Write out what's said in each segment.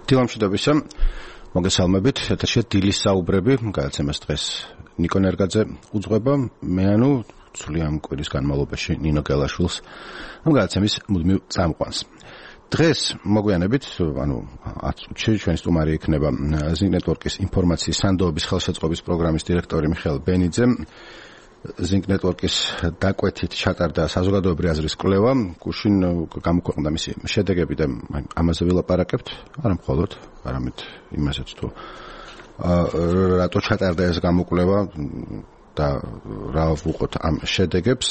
დილამშვიდობისა, მოგესალმებით, ეთერშია დილის საუბრები, გადაცემას დღეს ნიკო ნერგაძე უძღვება, მე ცვლი ამ კვირის განმავლობაში ნინო გელაშვილს ამ გადაცემის მუდმივ წამყვანს. დღეს მოგვიანებით, 10 წუთში ჩვენი სტუმარი იქნება Zing Network-ის ინფორმაციის სანდოების ხელშეწყობის პროგრამის დირექტორი მიხეილ ბენიძე. Zing Network-ის დაკვეთით ჩატარდა საზოგადოებრივი აზრის კვლევა, გუშინ გამოქვეყნდა მისი შედეგები და ამაზე ვილაპარაკებთ, არა მხოლოდ, არამედ იმასაც თუ რატო ჩატარდა ეს გამოკვლევა და რა ვუყოთ ამ შედეგებს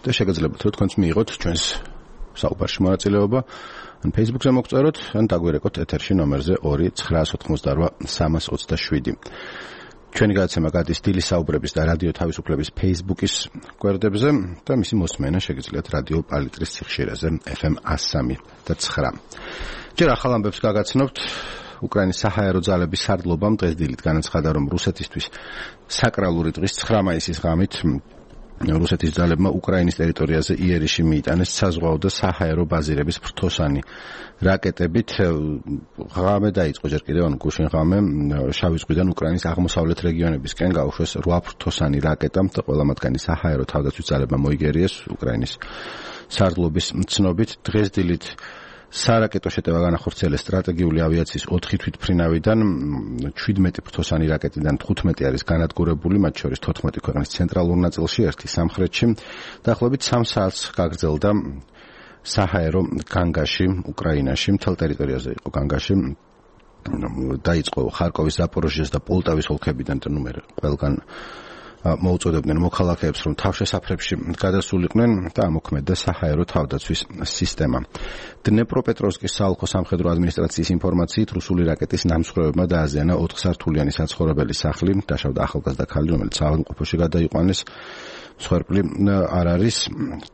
და შეგეძლებათ რომ თქვენც მიიღოთ ჩვენს საუბარში მონაწილეობა ან Facebook-ზე მოგწეროთ ან დაგვირეკოთ ეთერში ნომერზე 2988327. ჩვენი გადაცემა გადის დილის საუბრების და რადიო თავისუფლების Facebook-ის გვერდებზე და მისი მოსმენა შეგიძლიათ რადიო პალიტრის სიხშირეზე FM 103.9. ჯერ ახალ ამბებს გაგაცნობთ. უკრაინის საჰაერო ძალების სარდლობამ დღეს დილით განაცხადა, რომ რუსეთისთვის საკრალური დღის 9 მაისის ღამით რუსეთის ძალებმა უკრაინის ტერიტორიაზე იერიში მიიტანეს საზღვაო და საჰაერო ბაზირების ფრთოსანი რაკეტებით. ღამე დაიწყო ჯერ კიდევ გუშინ ღამე შავი ზღვიდან უკრაინის აღმოსავლეთ რეგიონებისკენ გაუშვეს 8 ფრთოსანი რაკეტა და ყველა მათგანი საჰაერო თავდაცვის ძალებმა მოიგერიეს უკრაინის სარდლობის ცნობით. დღეს დილით სარაკეტო შეტევა განახორციელეს სტრატეგიული ავიაციის 4 თვითმფრინავიდან, 17 ფრთოსანი რაკეტიდან 15 არის განადგურებული, მათ შორის 14 ქვეყნის ცენტრალურ ნაწილში, 1 სამხრეთში. დაახლოებით 3 საათს გაგრძელდა საჰაერო განგაში, უკრაინაში, მთელ ტერიტორიაზე იყო განგაში. დაიწყო ხარკოვის, ზაპოროჟიეს და პოლტავის ოლქებიდან და ყველგან მოუწოდებდნენ მოქალაქეებს, რომ თავშესაფრებში გადასულიყვნენ და ამოქმედდა საჰაერო თავდაცვის სისტემა. დნეპროპეტროვსკის საოლქო სამხედრო ადმინისტრაციის ინფორმაციით, რუსული რაკეტის ნამსხვრევებმა დააზიანა 4 სართულიანი საცხოვრებელი სახლი, დაშავდა ახალგაზრდა ქალი, რომელიც საავადმყოფოში გადაიყვანეს. მსხვერპლი არ არის.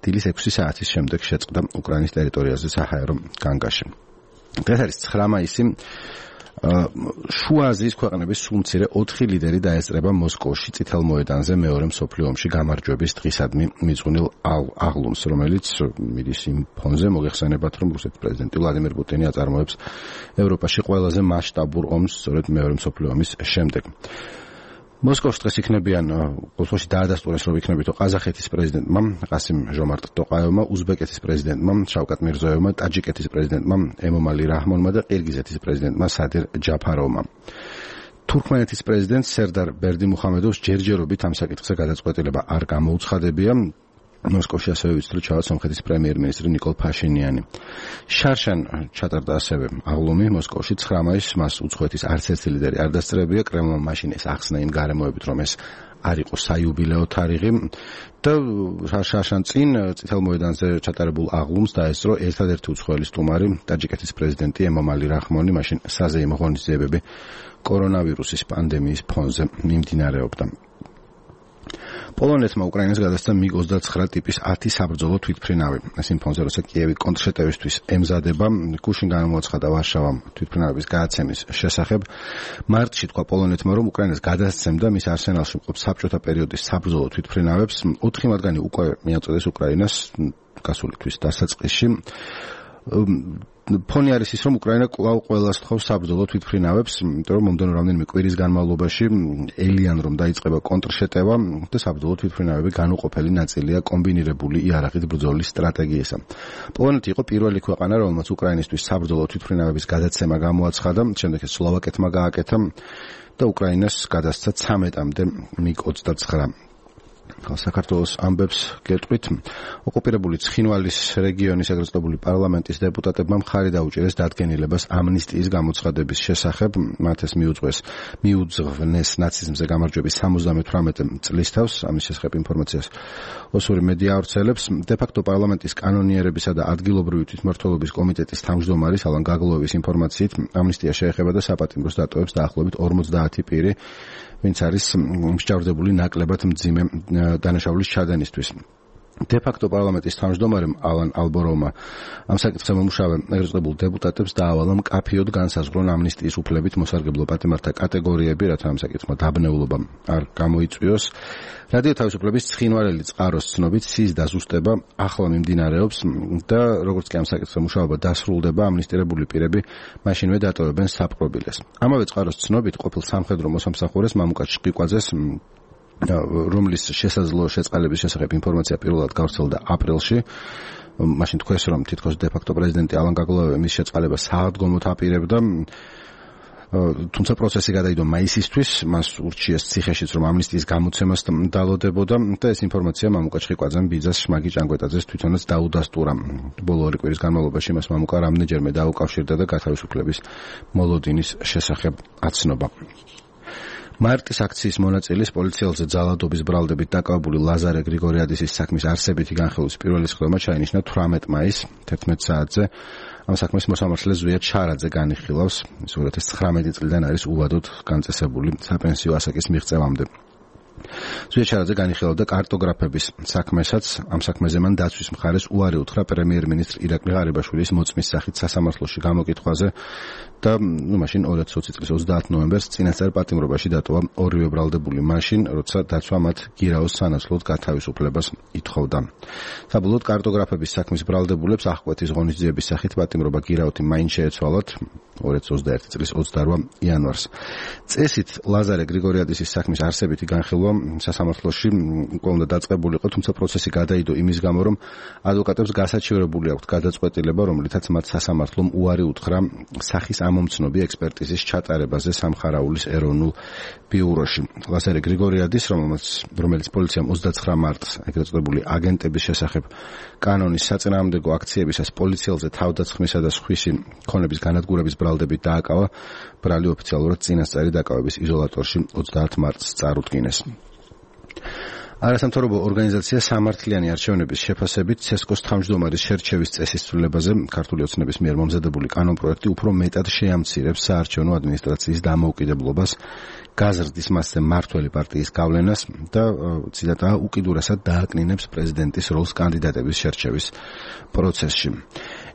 დილის 6 საათის შემდეგ შეწყდა უკრაინის ტერიტორიაზე საჰაერო განგაში. დღეს არის 9 მაისი. შუა აზიის ქვეყნების სულ მცირე 4 ლიდერი დაესწრება მოსკოვში წითელ მოედანზე მეორე მსოფლიო ომში გამარჯვების დღისადმი მიძღვნილ აღლუმს, რომელიც მიდის იმ ფონზე, მოგეხსენებათ, რომ რუსეთის პრეზიდენტი ვლადიმერ პუტინი აწარმოებს ევროპაში ყველაზე მასშტაბურ ომს სწორედ მეორე მსოფლიო ომის შემდეგ. მოსკოვში დღეს იქნებიან, მოსკოვში დაადასტურეს, რომ იქნებითო ყაზახეთის პრეზიდენტმა ყასიმ ჟომარტ ტოყაევმა, უზბეკეთის პრეზიდენტმა შავკატ მირზოევმა, ტაჯიკეთის პრეზიდენტმა ემომალი რაჰმონმა და ყირგიზეთის პრეზიდენტმა სადირ ჯაფაროვმა. თურქმენეთის პრეზიდენტ სერდარ ბერდიმუხამედოვს ჯერჯერობით ამ საკითხზე გადაწყვეტილება არ გამოუცხადებია. მოსკოვში ასევე ვიცით, ჩავა სომხეთის პრემიერ-მინისტრი ნიკოლ ფაშინიანი. შარშან ჩატარდა ასევე აღლუმი მოსკოვში 9 მაისს, მას უცხოეთის არც ერთი ლიდერი არ დასწრებია. კრემლმა მაშინ ეს ახსნა იმ გარემოებით, რომ ეს არ იყო საიუბილეო თარიღი და შარშან წინ წითელ მოედანზე ჩატარებულ აღლუმს დაესწრო ერთადერთი უცხოელი სტუმარი, ტაჯიკეთის პრეზიდენტი ემომალი რაჰმონი. მაშინ საზეიმო ღონისძიებები კორონავირუსის პანდემიის ფონზე მიმდინარეობდა. პოლონეთმა უკრაინას გადასცა MiG-29 ტიპის 10 საბრძოლო თვითმფრინავი. ეს იმ ფონზე, როცა კიევი კონტრშეტევისთვის ემზადება, გუშინ გამოაცხადა ვარშავამ თვითმფრინავების გადაცემის შესახებ. მარტში თქვა პოლონეთმა, რომ უკრაინას გადასცემდა მის არსენალში მყოფ საბჭოთა პერიოდის საბრძოლო თვითმფრინავებს. 4 მათგანი უკვე მიაწოდეს უკრაინას გასული თვის დასაწყისში. ფონი არის ის, რომ უკრაინა კვლავ ყველას თხოვს საბრძოლო თვითმფრინავებს, იმიტომ რომ მომდევნო რამდენიმე კვირის განმავლობაში ელიან რომ დაიწყება კონტრშეტევა და საბრძოლო თვითმფრინავები განუყოფელი ნაწილია კომბინირებული იარაღით ბრძოლის სტრატეგიისა. პოლონეთი იყო პირველი ქვეყანა, რომელმაც უკრაინისთვის საბრძოლო თვითმფრინავების გადაცემა გამოაცხადა, შემდეგ ეს სლოვაკეთმა გააკეთა და უკრაინას გადასცა 13-მდე MiG-29. საქართველოს ამბებს გეტყვით. ოკუპირებული ცხინვალის რეგიონის ეგრეთ წოდებული პარლამენტის დეპუტატებმა მხარი დაუჭირეს დადგენილებას ამნისტიის გამოცხადების შესახებ. მათ ეს მიუძღვნეს ნაციზმზე გამარჯვების 78 წლის თავს. ამის შესახებ ინფორმაციას ოსური მედია ავრცელებს. დე-ფაქტო პარლამენტის კანონიერებისა და ადგილობრივი თვითმმართველობის კომიტეტის თავმჯდომარის ალან გაგლოევის ინფორმაციით ამნისტია შეეხება და საპატიმროს დატოვებს დაახლოებით 50 პირი, ვინც არის მსჯავრდებული ნაკლებად მძიმე დანაშაულის ჩადენისთვის. დე-ფაქტო პარლამენტის თავმჯდომარემ ალან ალბოროვმა ამ საკითხზე მომუშავე ეგრეთ წოდებულ დეპუტატებს დაავალა მკაფიოდ განსაზღვრონ ამნისტიის უფლებით მოსარგებლო პატიმართა კატეგორიები, რათა ამ საკითხმა დაბნეულობა არ გამოიწვიოს. რადიო თავისუფლების ცხინვალელი წყაროს ცნობით სის დაზუსტება ახლა მიმდინარეობს და როგორც კი ამ საკითხზე მუშაობა დასრულდება, ამნისტირებული პირები მაშინვე დატოვებენ საპყრობილეს. ამავე წყაროს ცნობით ყოფილ სამხედრო მოსამსახურეს მამუკა ჭყიკვაძეს რომლის შესაძლო შეწყალების შესახებ ინფორმაცია პირველად გავრცელდა აპრილში. მაშინ თქვეს, რომ თითქოს დე-ფაქტო პრეზიდენტი ალან გაგლავე მის შეწყალებას საადგომოდ აპირებდა. თუმცა პროცესი გადაიდო მაისისთვის, მას ურჩიეს ციხეშიც, რომ ამნისტიის გამოცემას დალოდებოდა და ეს ინფორმაცია მამუკა ჭყიკვაძემ ბიძას შმაგი ჭანგვეტაძეს თვითონაც დაუდასტურა. ბოლო 2 კვირის განმავლობაში მას მამუკა რამდენჯერმე დაუკავშირდა და გათავისუფლების მოლოდინის შესახებ აცნობა. მარტის აქციის მონაწილის პოლიციელზე ძალადობის ბრალდებით დაკავებული ლაზარე გრიგორიადისის საქმის არსებითი განხილვის პირველი სხდომა ჩაინიშნა 18 მაისს 11 საათზე. ამ საქმეს მოსამართლე ზვიად შარაძე განიხილავს. ის 2019 წლიდან არის უვადოდ განწესებული საპენსიო ასაკის მიღწევამდე. ზვიად შარაძე განიხილავდა კარტოგრაფების საქმესაც. ამ საქმეზე მან დაცვის მხარეს უარი უთხრა პრემიერ-მინისტრ ირაკლი ღარიბაშვილის მოწმის სახით სასამართლოში გამოკითხვაზე და მაშინ 2020 წლის 30 ნოემბერს წინასწარ პატიმრობაში დატოვა ორივე ბრალდებული მაშინ, როცა დაცვა მათ გირაოს სანაცვლოდ გათავისუფლებას ითხოვდა. საბოლოოდ კარტოგრაფების საქმის ბრალდებულებს აღკვეთის ღონისძიების სახით პატიმრობა გირაოთი მაინც შეეცვალათ 2021 წლის 28 იანვარს. წესით ლაზარე გრიგორიადისის საქმის არსებითი განხილვა სასამართლოში უკვე უნდა დაწყებულიყო, თუმცა პროცესი გადაიდო იმის გამო, რომ ადვოკატებს გასაჩივრებული აქვთ გადაწყვეტილება, რომლითაც მათ სასამართლომ უარი უთხრა სახის ამომცნობი ექსპერტიზის ჩატარებაზე სამხარაულის ეროვნულ ბიუროში. ლაზარე გრიგორიადის, რომელიც პოლიციამ 29 მარტს ეგრეთ წოდებული აგენტების შესახებ კანონის საწინააღმდეგო აქციებისას პოლიციელზე თავდასხმისა და სხვისი ქონების განადგურების ბრალდებით დააკავა, ბრალი ოფიციალურად წინასწარი დაკავების იზოლატორში 30 მარტს წარუდგინეს. არასამთავრობო ორგანიზაცია სამართლიანი არჩევნების შეფასებით ცესკოს თავმჯდომარის შერჩევის წესის ცვლილებაზე ქართული ოცნების მიერ მომზადებული კანონპროექტი უფრო მეტად შეამცირებს საარჩევნო ადმინისტრაციის დამოუკიდებლობას, გაზრდის მასზე მმართველი პარტიის გავლენას და ციტატა უკიდურესად დააკნინებს პრეზიდენტის როლს კანდიდატების შერჩევის პროცესში.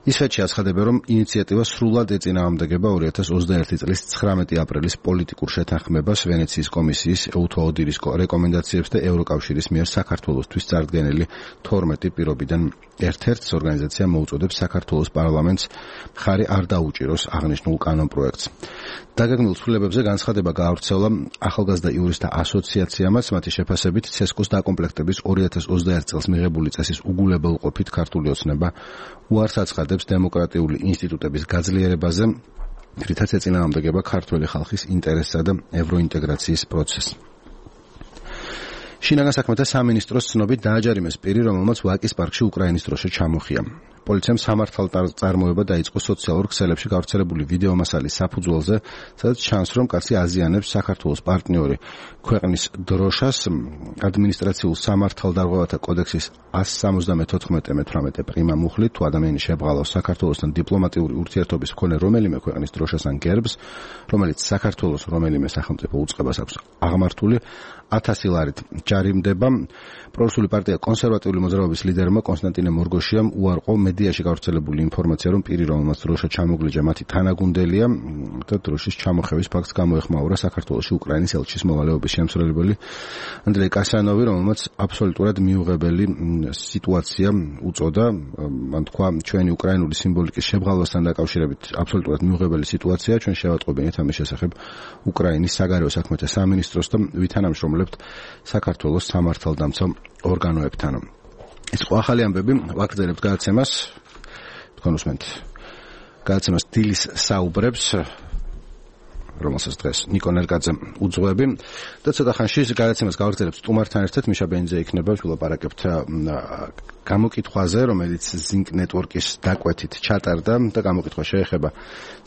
ისვეთში აცხადება, რომ ინიციატივა სრულად ეწინააღმდეგება 2021 წლის 19 აპრილის პოლიტიკურ შეთანხმებას, ვენეციის კომისიის, EUTO ODIHR-ის რეკომენდაციებს და ევროკავშირის მიერ საქართველოსთვის წარდგენილი 12 პირობიდან ერთ-ერთს ორგანიზაცია მოუწოდებს საქართველოს პარლამენტს მხარი არ დაუჭიროს აღნიშნულ კანონპროექტს. დაგეგმილ ცვლილებებზე განცხადება გაავრცელა ახალგაზრდა იურისტთა ასოციაციამაც, მათი შეფასებით ცესკოს დაკომპლექტების 2021 წელს მიღებული წესის უგულებელყოფით ქართული ოცნება უარს აცხადებს დემოკრატიული ინსტიტუტების გაძლიერებაზე, რითაც ეწინააღმდეგება ქართველი ხალხის ინტერესსა და ევროინტეგრაციის პროცესს. შინაგან საქმეთა სამინისტროს ცნობით დააჯარიმეს პირი, რომელმაც ვაკის პარკში უკრაინის დროშა ჩამოხია. პოლიციამ სამართალ-წარმოება დაიწყო სოციალურ ქსელებში გავრცელებული ვიდეო მასალის საფუძველზე, სადაც ჩანს, რომ კაცი აზიანებს საქართველოს პარტნიორი ქვეყნის დროშას. ადმინისტრაციულ სამართალდარღვევათა კოდექსის 174-18 პრიმა მუხლით, თუ ადამიანი შებრალავს საქართველოსთან დიპლომატიური ურთიერთობის მქონე რომელიმე ქვეყნის დროშას ან გერბს, რომელიც საქართველოს რომელიმე სახელმწიფო უწყებას აქვს აღმართული, 1000 ლარით ჯარიმდება. პრორუსული პარტია კონსერვატიული მოძრაობის ლიდერმა კონსტანტინე მორგოშიამ უარყო მედიაში გავრცელებული ინფორმაცია, რომ პირი, რომელმაც დროშა ჩამოგლიჯა, მათი თანაგუნდელია და დროშის ჩამოხევის ფაქტს გამოეხმაურა საქართველოში უკრაინის ელჩის მოვალეობის შემსრულებელი ანდრეი კასანოვი, რომელმაც აბსოლუტურად მიუღებელი სიტუაცია უწოდა. მან თქვა, ჩვენი უკრაინული სიმბოლიკის შებრალვასთან დაკავშირებით აბსოლუტურად მიუღებელი სიტუაცია, ჩვენ შევატყობინეთ ამის შესახებ უკრაინის საგარეო საქმეთა სამინისტროს და ვითანამშრომლებთ საქართველოს სამართალდამცავ ორგანოებთან. ეს ხო ახალი ამბები, ვაგრძელებთ გადაცემას, თქვენ უსმენთ გადაცემას დილის საუბრებს, რომელსაც დღეს ნიკო ნერკაძე უძღვები და ცოტა ხანში გადაცემას გავაგრძელებთ სტუმართან ერთად. მიშა ბენძე იქნება, ვილაპარაკებთ გამოკითხვაზე, რომელიც Zinc Network-ის დაკვეთით ჩატარდა და გამოკითხვა შეეხება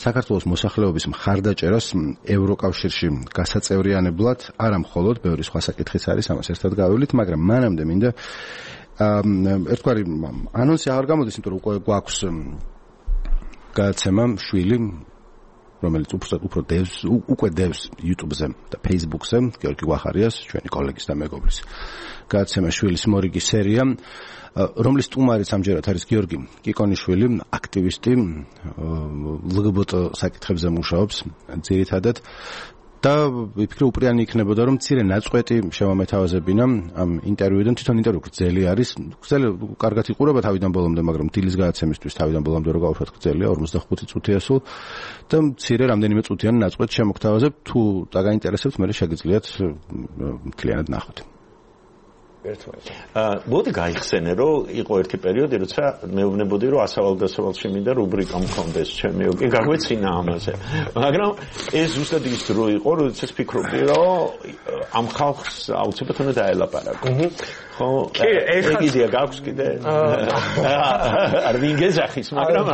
საქართველოს მოსახლეობის მხარდაჭერას ევროკავშირში გასაწევრიანებლად, არა მხოლოდ, ბევრი სხვა საკითხიც არის, ამას ერთად გავივლით, მაგრამ მანამდე მინდა ერთგვარი ანონსი აღარ გამოდის, იმიტომ რომ უკვე გვაქვს გადაცემა შვილი რომელიც უფრო უკვე დევს YouTube-ზე და Facebook-ზე, გიორგი გვახარიას, ჩვენი კოლეგის და მეგობრის გადაცემა შვილის მორიგი სერია, რომლის სტუმარიც ამჯერად არის გიორგი კიკონიშვილი, აქტივისტი, LGBT საკითხებზე მუშაობს ძირითადად და ვიფიქრე უპრიანი იქნებოდა რომ მცირე ნაწყვეტი შევამეთავაზებინა ამ ინტერვიუდან თვითონ ინტერვიუ გრძელი არის გრძელი კარგად იყურება თავიდან ბოლომდე მაგრამ დილის გადაცემისთვის თავიდან ბოლომდე რო გავუშვათ გრძელია 45 წუთია სულ და მცირე რამდენიმე წუთიანი ნაწყვეტ შემოგთავაზებ თუ დაგაინტერესებთ მე შეგიძლიათ მთლიანად ნახოთ მოდი გაიხსენე რომ იყო ერთი პერიოდი როცა მეუბნებოდი რომ ასავალ-დასავალში მინდა რუბრიკა მქონდეს ჩემი კი გაგვეცინა ამაზე მაგრამ ეს ზუსტად ის დრო იყო როდესაც ფიქრობდი რომ ამ ხალხს აუცილებლად უნდა დაელაპარაკო ხო ეხლა იდეა გაქვს კიდე არ ვინგეძახის მაგრამ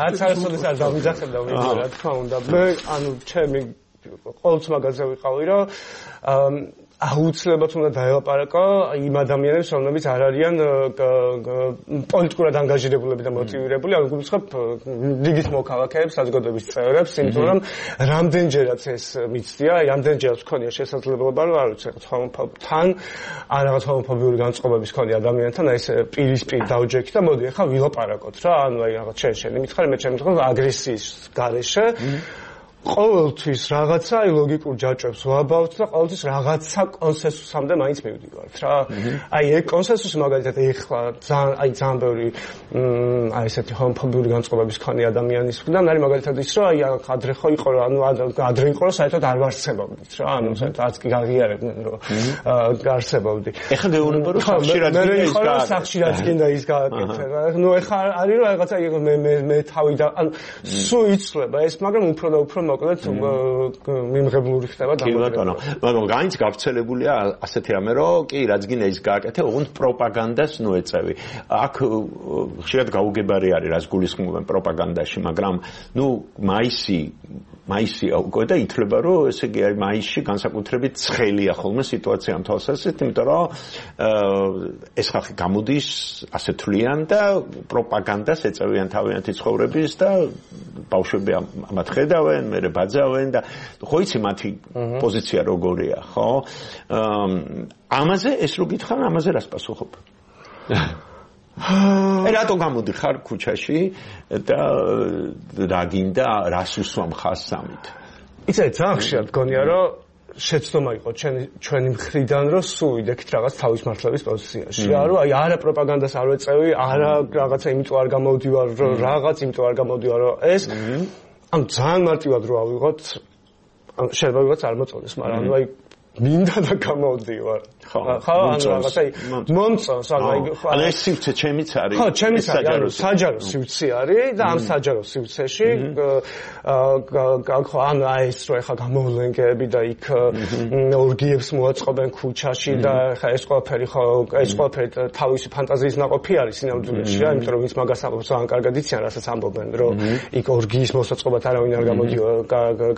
არც არასოდეს არ დავიძახებდა ვიდეო რა თქმა უნდა მე ანუ ჩემი ყოველთვის მაგაზე ვიყავი რომ აუცილებლად უნდა დაელაპარაკო იმ ადამიანებს, რომლებიც არ არიან პოლიტიკურად ანგაჟირებულები და მოტივირებული, ან გულისხმობ რიგის მოქალაქეებს, საზოგადოების წევრებს, იმიტომ რომ რამდენჯერაც ეს მიცდია, რამდენჯერაც მქონია შესაძლებლობა, რომ არ ვიცი, თან ან რაღაც ჰომოფობიური განწყობების მქონია ადამიანთან, აი ეს პირისპირ დავჯექი და მოდი ახლა ვილაპარაკოთ რა, ანუ აი რაღაც შენი მითხარი, მე ჩემი მითხარი აგრესიის გარეშე ყოველთვის რაღაცა ლოგიკურ ჯაჭვებს ვაბავთ და ყოველთვის რაღაცა კონსენსუსამდე მაინც მივდივართ რა. აი ეგ კონსენსუსი მაგალითად ეხლა ძალიან ბევრი აი ესეთი ჰომოფობიური განწყობების მქონე ადამიანის მხრიდან არის მაგალითად ის რომ აი ადრე ხო იყო რომ ანუ ადრე იყო რომ საერთოდ არ ვარსებობდით რა. ანუ საერთოდ არც კი გაღიარებდნენ რომ გარსებობდი. ეხლა გეუბნება რომ სახშირად გინდა ის გააკეთე რა. ნუ ეხლა არის რომ რაღაცა მე თავიდან ანუ სულ იცლება ეს მაგრამ უფრო და უფრო მოკლედ მიმღებლური ხდება დამოკიდებული. მაგრამ გაინც გავრცელებულია ასეთი რამე რომ კი რაც გინდა ის გააკეთე, ოღონდ პროპაგანდას ნუ ეწევი. აქ ხშირად გაუგებარი არის რაც გულისხმობენ პროპაგანდაში, მაგრამ ნუ მაისი უკვე და ითვლება რომ ესე იგი არის მაისში განსაკუთრებით ცხელია ხოლმე სიტუაცია ამ თვალსაზრისით, იმიტომ რომ ეს ხალხი გამოდის ასე თვლიან და პროპაგანდას ეწევიან თავიანთი ცხოვრების და ბავშვები ამათ ხედავენ, მე ბაძავენ და ხო იცი მათი პოზიცია როგორია, ხო? ამაზე ეს რო გითხარ, ამაზე რას პასუხობ? რატო გამოდიხარ ქუჩაში და რა გინდა რას უსვამ ხასამით? იცი ძალიან ხშირად გონია რომ შეცდომა იყო ჩვენი მხრიდან რომ სულ ვიდექით რაღაც თავის მართლების პოზიციაში. რა აი არა პროპაგანდას არ ვეწევი, არა რაღაცა იმიტომ არ გამოვდივარ რომ რაღაც იმიტომ არ გამოვდივარ რომ ეს ან ძალიან მარტივად რო ავიღოთ შეიძლება ვიღაც არ მოწონდეს, მაგრამ ანუ აი მინდა და გამოვდივარ. ხო, ანუ რაღაცა მომწონს, ანუ ეს სივრცე ჩემიც არის. ხო, ჩემიც არის, საჯარო სივრცე არის და ამ საჯარო სივრცეში ხო, ანუ აი ეს რო ეხა გამოვლენგები და იქ ორგიებს მოაწყობენ ქუჩაში და ეხა ეს ყველაფერი ხო, ეს ყველაფერი თავისი ფანტაზიის ნაყოფი არის სინამდვილეში რა, იმიტომ რომ ვინც მაგას ამბობს, ძალიან კარგად იციან, რასაც ამბობენ, რომ იქ ორგიის მოსაწყობად არავინ არ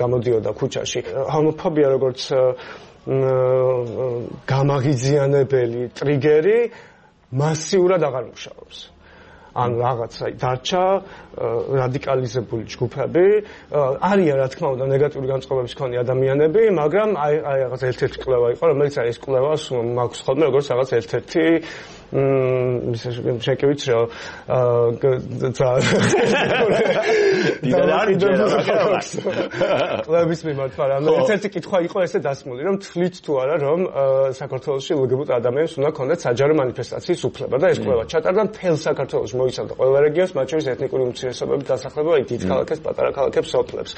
გამოდიოდა ქუჩაში. ჰომოფობია როგორც გამაღიზიანებელი ტრიგერი მასიურად აღარ მუშაობს. ან რაღაცა დარჩა რადიკალიზებული ჯგუფები, არიან რა თქმა უნდა ნეგატიური განწყობების მქონე ადამიანები, მაგრამ აი რაღაც ერთ-ერთი კვლევა იყო, რომელიც აი ეს კვლევა მაქვს ხოლმე როგორც რაღაც ერთ-ერთი შეკივიც რომ კვლევის მიმართ, მაგრამ ერთ-ერთი კითხვა იყო ესე დასმული, რომ თვლით თუ არა, რომ საქართველოში LGBT ადამიანებს უნდა ქონდეთ საჯარო მანიფესტაციის უფლება და ეს კვლევა ჩატარდა მთელ საქართველოში, მოიცავდა ყველა რეგიონს, მათ შორის ეთნიკური უმცირესობების დასახლება, დიდ ქალაქებს, პატარა ქალაქებს, სოფლებს.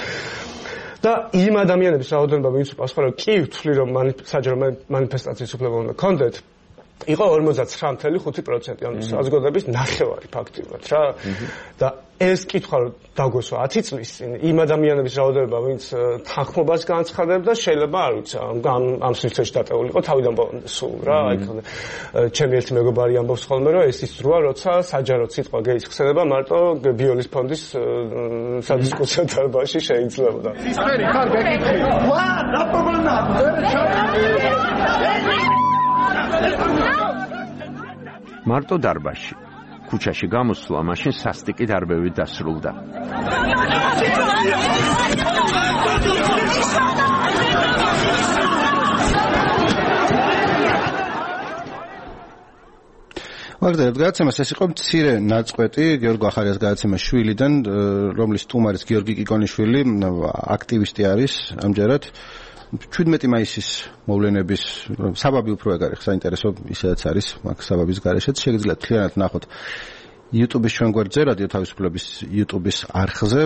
და იმ ადამიანების რაოდენობა, ვინც პასუხა რომ კი ვთვლი, რომ საჯარო მანიფესტაციის უფლება უნდა ქონდეთ, იყო 49.5%, ანუ საზოგადოების ნახევარი ფაქტიურად რა. და ეს კითხვა რომ დაგვესვა 10 წლის წინ, იმ ადამიანების რაოდენობა, ვინც თანხმობას განცხადებდა, შეიძლება არ ვიცი, ამ სივრცეში დატეულიყო თავიდან ბოლომდე სულ რა. აი ჩემი ერთი მეგობარი ამბობს ხოლმე, რომ ეს ის დროა, როცა საჯაროდ სიტყვა გეის ხსენება მარტო ბიოლის ფონდის სადისკუსიო დარბაზში შეიძლებოდა. სისხლი ხარ გეკითხე. ვა, რა პრობლემა? მარტო დარბაზში ქუჩაში გამოსვლა მაშინ სასტიკი დარბევით დასრულდა. მაგდერად გადაცემას ეს იყო მცირე ნაწყვეტი გიორგი ახარიას გადაცემას შვილიდან, რომლის სტუმარიც გიორგი კიკონიშვილი აქტივისტი არის ამჯერად. 17 მაისის მოვლენების საბაბი უფრო ეგ არის საინტერესო ისედაც არის მაგ საბაბის გარეშეც შეგიძლიათ მთლიანად ნახოთ YouTube-ის ჩვენ გვერდზე რადიო თავისუფლების YouTube-ის არხზე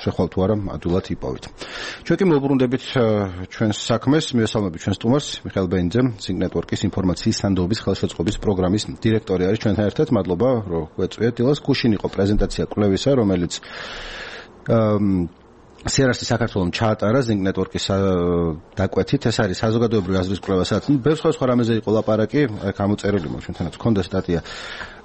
შეხვალ თუ არა ადვილად იპოვით. ჩვენ კი მოვუბრუნდებით ჩვენს საქმეს, მივესალმებით ჩვენს სტუმარს მიხეილ ბენიძე, Sync Network-ის ინფორმაციის სანდოობის ხელშეწყობის პროგრამის დირექტორი არის ჩვენთან ერთად. მადლობა რომ გვეწვიეთ. დილას გუშინ იყო პრეზენტაცია კვლევისა, რომელიც CRS-ის საქართველოს ჩაატარა Sync Network-ის დაკვეთით. ეს არის საზოგადოებრივი აზრის კვლევასაც. ბევრ სხვა რამეზე იყო ლაპარაკი, აქ ამოწერილი მო ჩვენთანაც ჰქონდა სტატია,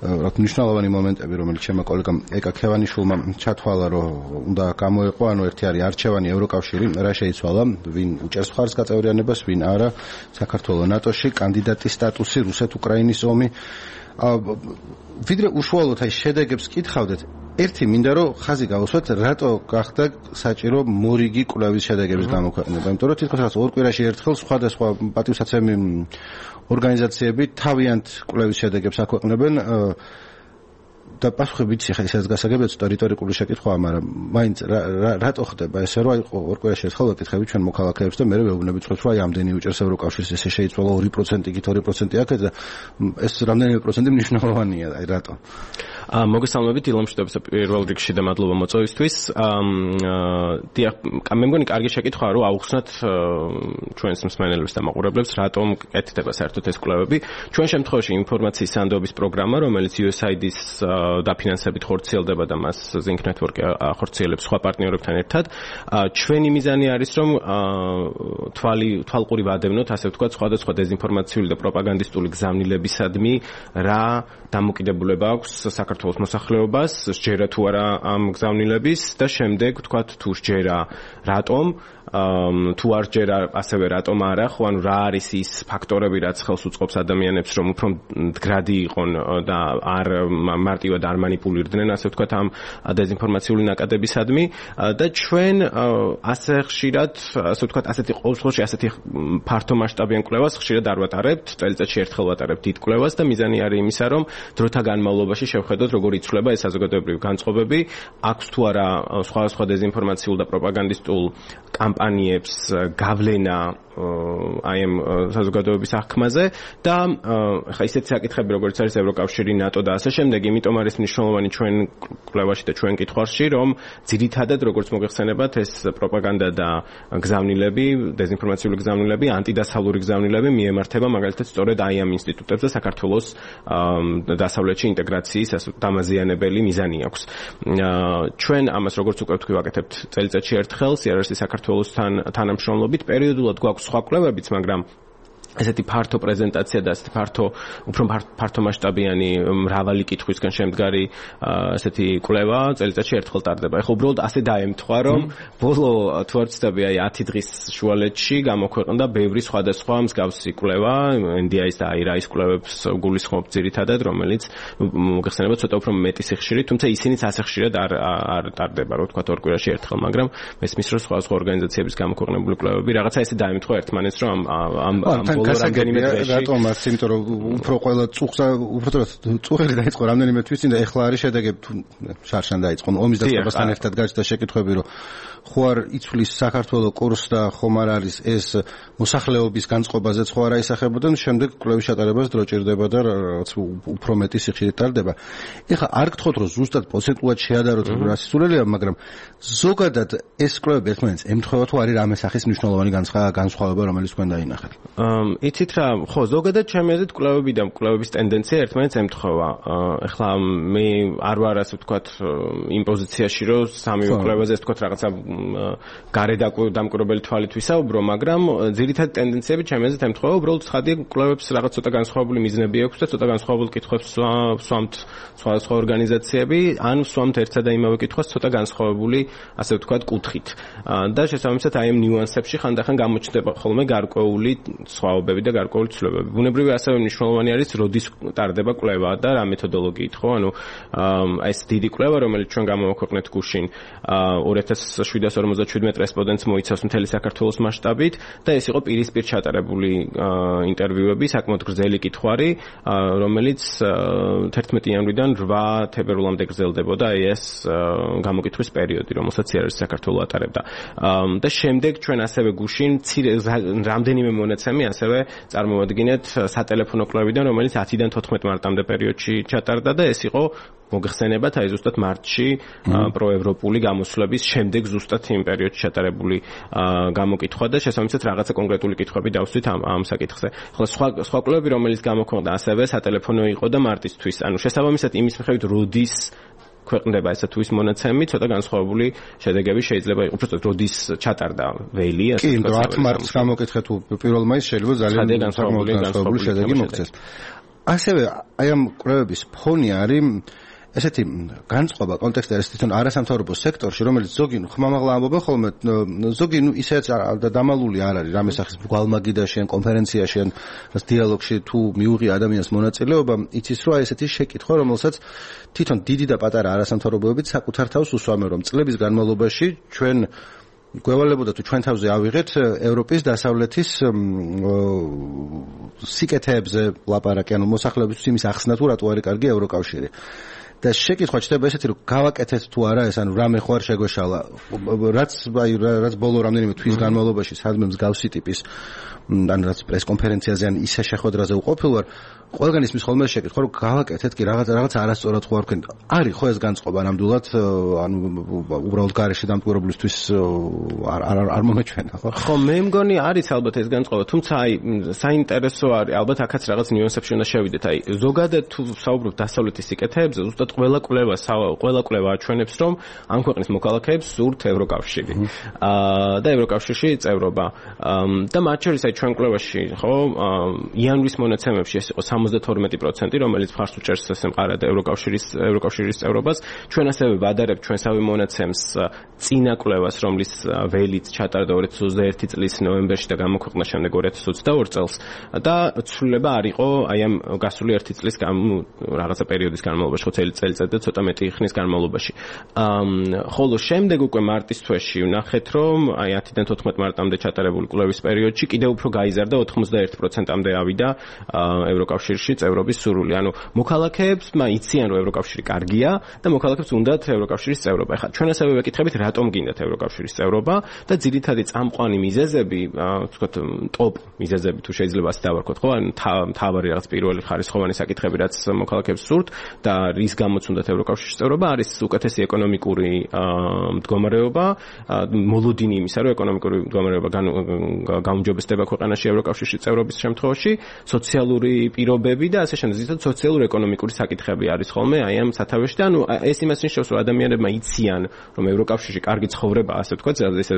რა მნიშვნელოვანი მომენტები, რომელიც ჩემო კოლეგამ ეკა ქევანიშვილმა ჩათვალა, რომ უნდა გამოეყო, ანუ ერთი არის არჩევანი ევროკავშირი, რა შეიცვალა, ვინ უჭერს მხარს გაწევრიანებას, ვინ არა, საქართველოს ნატოში, კანდიდატის სტატუსი, რუსეთ-უკრაინის ომი. ვიდრე უშუალოდ აი შედეგებს კითხავდეთ, ერთი მინდა რომ ხაზი გავუსვათ, რატო გახდა საჭირო მორიგი კვლევის შედეგების გამოქვეყნება, იმიტომ რომ თითქოს რაღაც ორ კვირაში ერთხელ სხვადასხვა პატივსაცემი ორგანიზაციები თავიანთ კვლევის შედეგებს აქვეყნებენ და პასუხი ვიცი ხა ისაც გასაგებია ცოტა რიტორიკული შეკითხვაა, მაგრამ მაინც რატო ხდება ესე რომ აი ორ კვირაში ერთხელ ვეკითხები ჩვენ მოქალაქეებს და მე ვეუბნებით ხო რომ აი ამდენი უჭერს ევროკავშირს ესე შეიცვალა 2% იქით 2% აქეთ და ეს რამდენიმე პროცენტი მნიშვნელოვანია აი რატო მოგესალმებით ილამ შტაბს პირველ რიგში და მადლობა მოწვევისთვის. დიახ, მე მგონი კარგი შეკითხვაა რომ აუხსნათ ჩვენს მსმენელებს და მაყურებლებს რატომ კეთდება საერთოდ ეს კვლევები. ჩვენ შემთხვევაში ინფორმაციის სანდოობის პროგრამა, რომელიც USAID-ის დაფინანსებით ხორციელდება და მას Sync Network ახორციელებს სხვა პარტნიორებთან ერთად. ჩვენი მიზანი არის რომ თვალყური ვადევნოთ, ასე ვთქვათ, სხვადასხვა დეзинფორმაციული და პროპაგანდისტული გზავნილებისადმი რა დამოკიდებულება აქვს საქართველოს მოსახლეობას, სჯერა თუ არა ამ გზავნილების და შემდეგ ვთქვათ თუ სჯერა რატომ, თუ არ სჯერა ასევე რატომ არა, ხო ანუ რა არის ის ფაქტორები, რაც ხელს უწყობს ადამიანებს რომ უფრო მდგრადი იყონ და არ მარტივად არ манипуლირდნენ, ასე ვთქვათ ამ დეзинფორმაციული ნაკადებისადმი და ჩვენ ასე ხშირად, ასე ვთქვათ, ასეთი ყოველდღიურში ასეთი ფართო მასშტაბიან კვლევას ხშირად არ ვატარებთ, წელიწადში ერთხელ ვატარებთ დიდ კვლევას და მიზანი არის იმისა, რომ დროთა განმავლობაში შევხედოთ როგორ იცვლება ეს საზოგადოებრივი განწყობები, აქვს თუ არა სხვადასხვა დეзинფორმაციულ და პროპაგანდისტულ კამპანიებს გავლენა აი ამ საზოგადოების აღქმაზე და ხა ისეთი საკითხები როგორც არის ევროკავშირი, ნატო და ასე შემდეგ, იმიტომ არის მნიშვნელოვანი ჩვენ კვლევაში და ჩვენ კითხვაში, რომ ძირითადად როგორც მოგეხსენებათ ეს პროპაგანდა და გზავნილები, დეзинფორმაციული გზავნილები, ანტიდასავლური გზავნილები მიემართება მაგალითად სწორედ აი ამ ინსტიტუტებს და საქართველოს დასავლეთში ინტეგრაციის დამაზიანებელი მიზანი აქვს. ჩვენ ამას როგორც უკვე ვთქვი ვაკეთებთ წელიწადში ერთხელ CRS-ის საქართველოსთან თანამშრომლობით, პერიოდულად გვაქვს სხვა კვლევებიც, მაგრამ ესეთი ფართო პრეზენტაცია და ესეთი უფრო ფართო მასშტაბიანი მრავალი კითხვისგან შემდგარი ესეთი კვლევა წელიწადში ერთხელ ტარდება. ეხლა უბრალოდ ასე დაემთხვა, რომ ბოლო თუ არ ვცდები, აი 10 დღის შუალედში გამოქვეყნდა ბევრი სხვადასხვა მსგავსი კვლევა, NDI-ის და IRA-ის კვლევებს გულისხმობ ძირითადად, რომელიც მოგეხსენება ცოტა უფრო მეტი სიხშირით, თუმცა ისინიც ასე ხშირად არ ტარდება, რო ვთქვათ, ორ კვირაში ერთხელ, მაგრამ მესმის რომ სხვადასხვა ორგანიზაციების გამოქვეყნებული კვლევები რაღაცა ესე დაემთხვა ერთმანეთს, რომ ამ რატომ არც იმიტომ რომ უფრო ყველა წუხელი დაიწყო რამდენიმე თვის წინ და ეხლა არის შედეგები შარშან დაიწყო ომის დაწყებასთან ერთად გაჩნდა შეკითხვები რომ ხო არ იცვლის საქართველოს კურსს და ხომ არ არის ეს მოსახლეობის განწყობაზე ხო არ აისახებოდნენ, შემდეგ კვლევის ჩატარებას დრო ჭირდება და რაღაც უფრო მეტი სიხშირით ტარდება. ეხლა არ გთხოვთ რომ ზუსტად პროცენტულად შეადაროთ რა სისულელია, მაგრამ ზოგადად ეს კვლევები ერთმანეთს ემთხვევა თუ არის რამე სახის მნიშვნელოვანი განსხვავება, რომელიც თქვენ დაინახეთ. იცით რა, ხო, ზოგადად ჩემი აზრით კვლევები და კვლევების ტენდენცია ერთმანეთს ემთხვევა. ეხლა მე არ ვარ ასე ვთქვათ იმ პოზიციაში, რომ სამივე კვლევაზე ასე ვთქვათ რაღაცა გარე დამკვირვებელი თვალით ვისაუბრო, მაგრამ ძირითადი ტენდენციები ჩემი აზრით ემთხვევა, უბრალოდ ხადია კვლევებს რაღაც ცოტა განსხვავებული მიზნები აქვს და ცოტა განსხვავებულ კითხვებს სვამთ სხვადასხვა ორგანიზაციები, ან სვამთ ერთსა და იმავე კითხვას ცოტა განსხვავებული, ასე ვთქვათ, კუთხით. და შესაბამისად აი ამ ნიუანსებში ხანდახან გამოჩნდება ხოლმე გარკვეული სხვაობა თაობები და გარკვეული ცვლილებები. ბუნებრივი ასევე მნიშვნელოვანი არის როდის ტარდება კვლევა და რა მეთოდოლოგიით, ხო? ანუ ეს დიდი კვლევა, რომელიც ჩვენ გამოვაქვეყნეთ გუშინ 2747 რესპონდენტს მოიცავს მთელი საქართველოს მასშტაბით და ეს იყო პირისპირ ჩატარებული ინტერვიუები, საკმაოდ გრძელი კითხვარი, რომელიც 11 იანვრიდან 8 თებერვლამდე გრძელდებოდა ეს გამოკითხვის პერიოდი, რომელსაც იარაღის საქართველოს ატარებდა. და შემდეგ ჩვენ ასევე გუშინ რამდენიმე მონაცემი ასევე წარმოვადგინეთ სატელეფონო კვლევიდან, რომელიც 10-დან 14 მარტამდე პერიოდში ჩატარდა და ეს იყო მოგხსენებათ აი ზუსტად მარტში პროევროპული გამოსვლების შემდეგ ზუსტად იმ პერიოდში ჩატარებული გამოკითხვა და შესაბამისად რაღაცა კონკრეტული კითხვები დავსვით ამ საკითხზე. ხოლო სხვა კვლევები, რომელიც გამოქვეყნდა ასევე სატელეფონო იყო და მარტისთვის. ანუ შესაბამისად იმის მიხედვით როდის ქვეყნდება ესა თუ ის მონაცემი, ცოტა განსხვავებული შედეგები შეიძლება იყოს. უბრალოდ როდის ჩატარდა ველი, ასე ვთქვათ. კი, 10 მარტს გამოკითხეთ თუ 1 მაისს შეიძლება ძალიან განსხვავებული შედეგი მოგცეს. ასევე აი ამ კვლევების ფონი არის ესეთი განწყობა კონტექსტი არის თვითონ არასამთავრობო სექტორში, რომელიც ზოგი ხმამაღლა ამბობენ ხოლმე, ზოგი ისეც დამალული არ არის რამე სახის გვალმაგიდაში ან კონფერენციაში ან დიალოგში თუ მიუღია ადამიანს მონაწილეობა, იცის რომ აი ესეთი შეკითხვა, რომელსაც თვითონ დიდი და პატარა არასამთავრობოებიც საკუთარ თავს უსვამენ, რომ წლების განმავლობაში ჩვენ გვევალებოდა თუ ჩვენ თავზე ავიღეთ ევროპის დასავლეთის სიკეთეებზე ლაპარაკი, ანუ მოსახლეობისთვის იმის ახსნა თუ რატო არის კარგი ევროკავშირი. და შეკითხვა ჩდება ესეთი რომ გავაკეთეთ თუ არა ეს, ანუ რამე ხო არ შეგვეშალა, რაც ბოლო რამდენიმე თვის განმავლობაში სადმე მსგავსი ტიპის ან რაც პრესკონფერენციაზე ან ისე შეხვედრაზე უყოფილ ვარ, ყველგან ისმის ხოლმე შეკითხვა რომ გავაკეთეთ კი რაღაც არასწორად ხო არ ვქენ. არის ხო ეს განწყობა ნამდვილად, ანუ უბრალოდ გარეშე დამკვირვებლისთვის არ მომეჩვენა, ხო? ხო, მე მგონი არის ალბათ ეს განწყობა, თუმცა აი საინტერესო არის, ალბათ აქაც რაღაც ნიუანსებში უნდა შევიდეთ. აი ზოგადად თუ საუბრობთ დასავლეთის სიკეთეებზე, ზუსტად ყველა კვლევა აჩვენებს, რომ ამ ქვეყნის მოქალაქეებს სურთ ევროკავშირი. და ევროკავშირში წევრობა. და მათ შორის აი ჩვენ კვლევაში, ხო, იანვრის მონაცემებში ეს იყო 72%, რომელიც მხარს უჭერს ესემყარად ევროკავშირის წევრობას. ჩვენ ასევე ვადარებთ ჩვენსავე მონაცემს წინა კვლევას, რომლის ველით ჩატარდა 2021 წლის ნოემბერში და გამოქვეყნდა შემდეგ 2022 წელს და ცვლილება არ იყო აი ამ გასული 1 წლის რაღაცა პერიოდის განმავლობაში, ხო წელიწად და ცოტა მეტი ხნის განმავლობაში. ხოლო შემდეგ უკვე მარტის თვეში ვნახეთ, რომ აი 10-დან 14 მარტამდე ჩატარებული კვლევის პერიოდში კიდევ უფრო გაიზარდა 91%-მდე ავიდა ევროკავშირში წევრობის სურვილი. ანუ მოქალაქეებს იციან, რომ ევროკავშირი კარგია და მოქალაქეებს უნდათ ევროკავშირის წევრობა. ეხლა ჩვენ ასევე ვეკითხებით, რატომ გინდათ ევროკავშირის წევრობა და ძირითადი წამყვანი მიზეზები, ვთქვათ, ტოპ მიზეზები თუ შეიძლება ასე დავარქვათ, ხო? ან თავარი რაღაც პირველი ხარისხოვანი საკითხები, რაც მოქალაქეებს სურთ და რის გამოც უნდათ ევროკავშირის წევრობა, არის უკეთესი ეკონომიკური მდგომარეობა, მოლოდინი იმისა, რომ ეკონომიკური მდგომარეობა გაუმჯობესდება ქვეყანაში ევროკავშირში წევრობის შემთხვევაში, სოციალური პირობები და ასე შემდეგ, ზუსტად სოციალურ-ეკონომიკური საკითხები არის ხოლმე აი ამ სათავეში და ანუ ეს იმას ნიშნავს, რომ ადამიანებმა იციან, რომ ევროკავშირში კარგი ცხოვრება, ასე ვთქვათ, ესე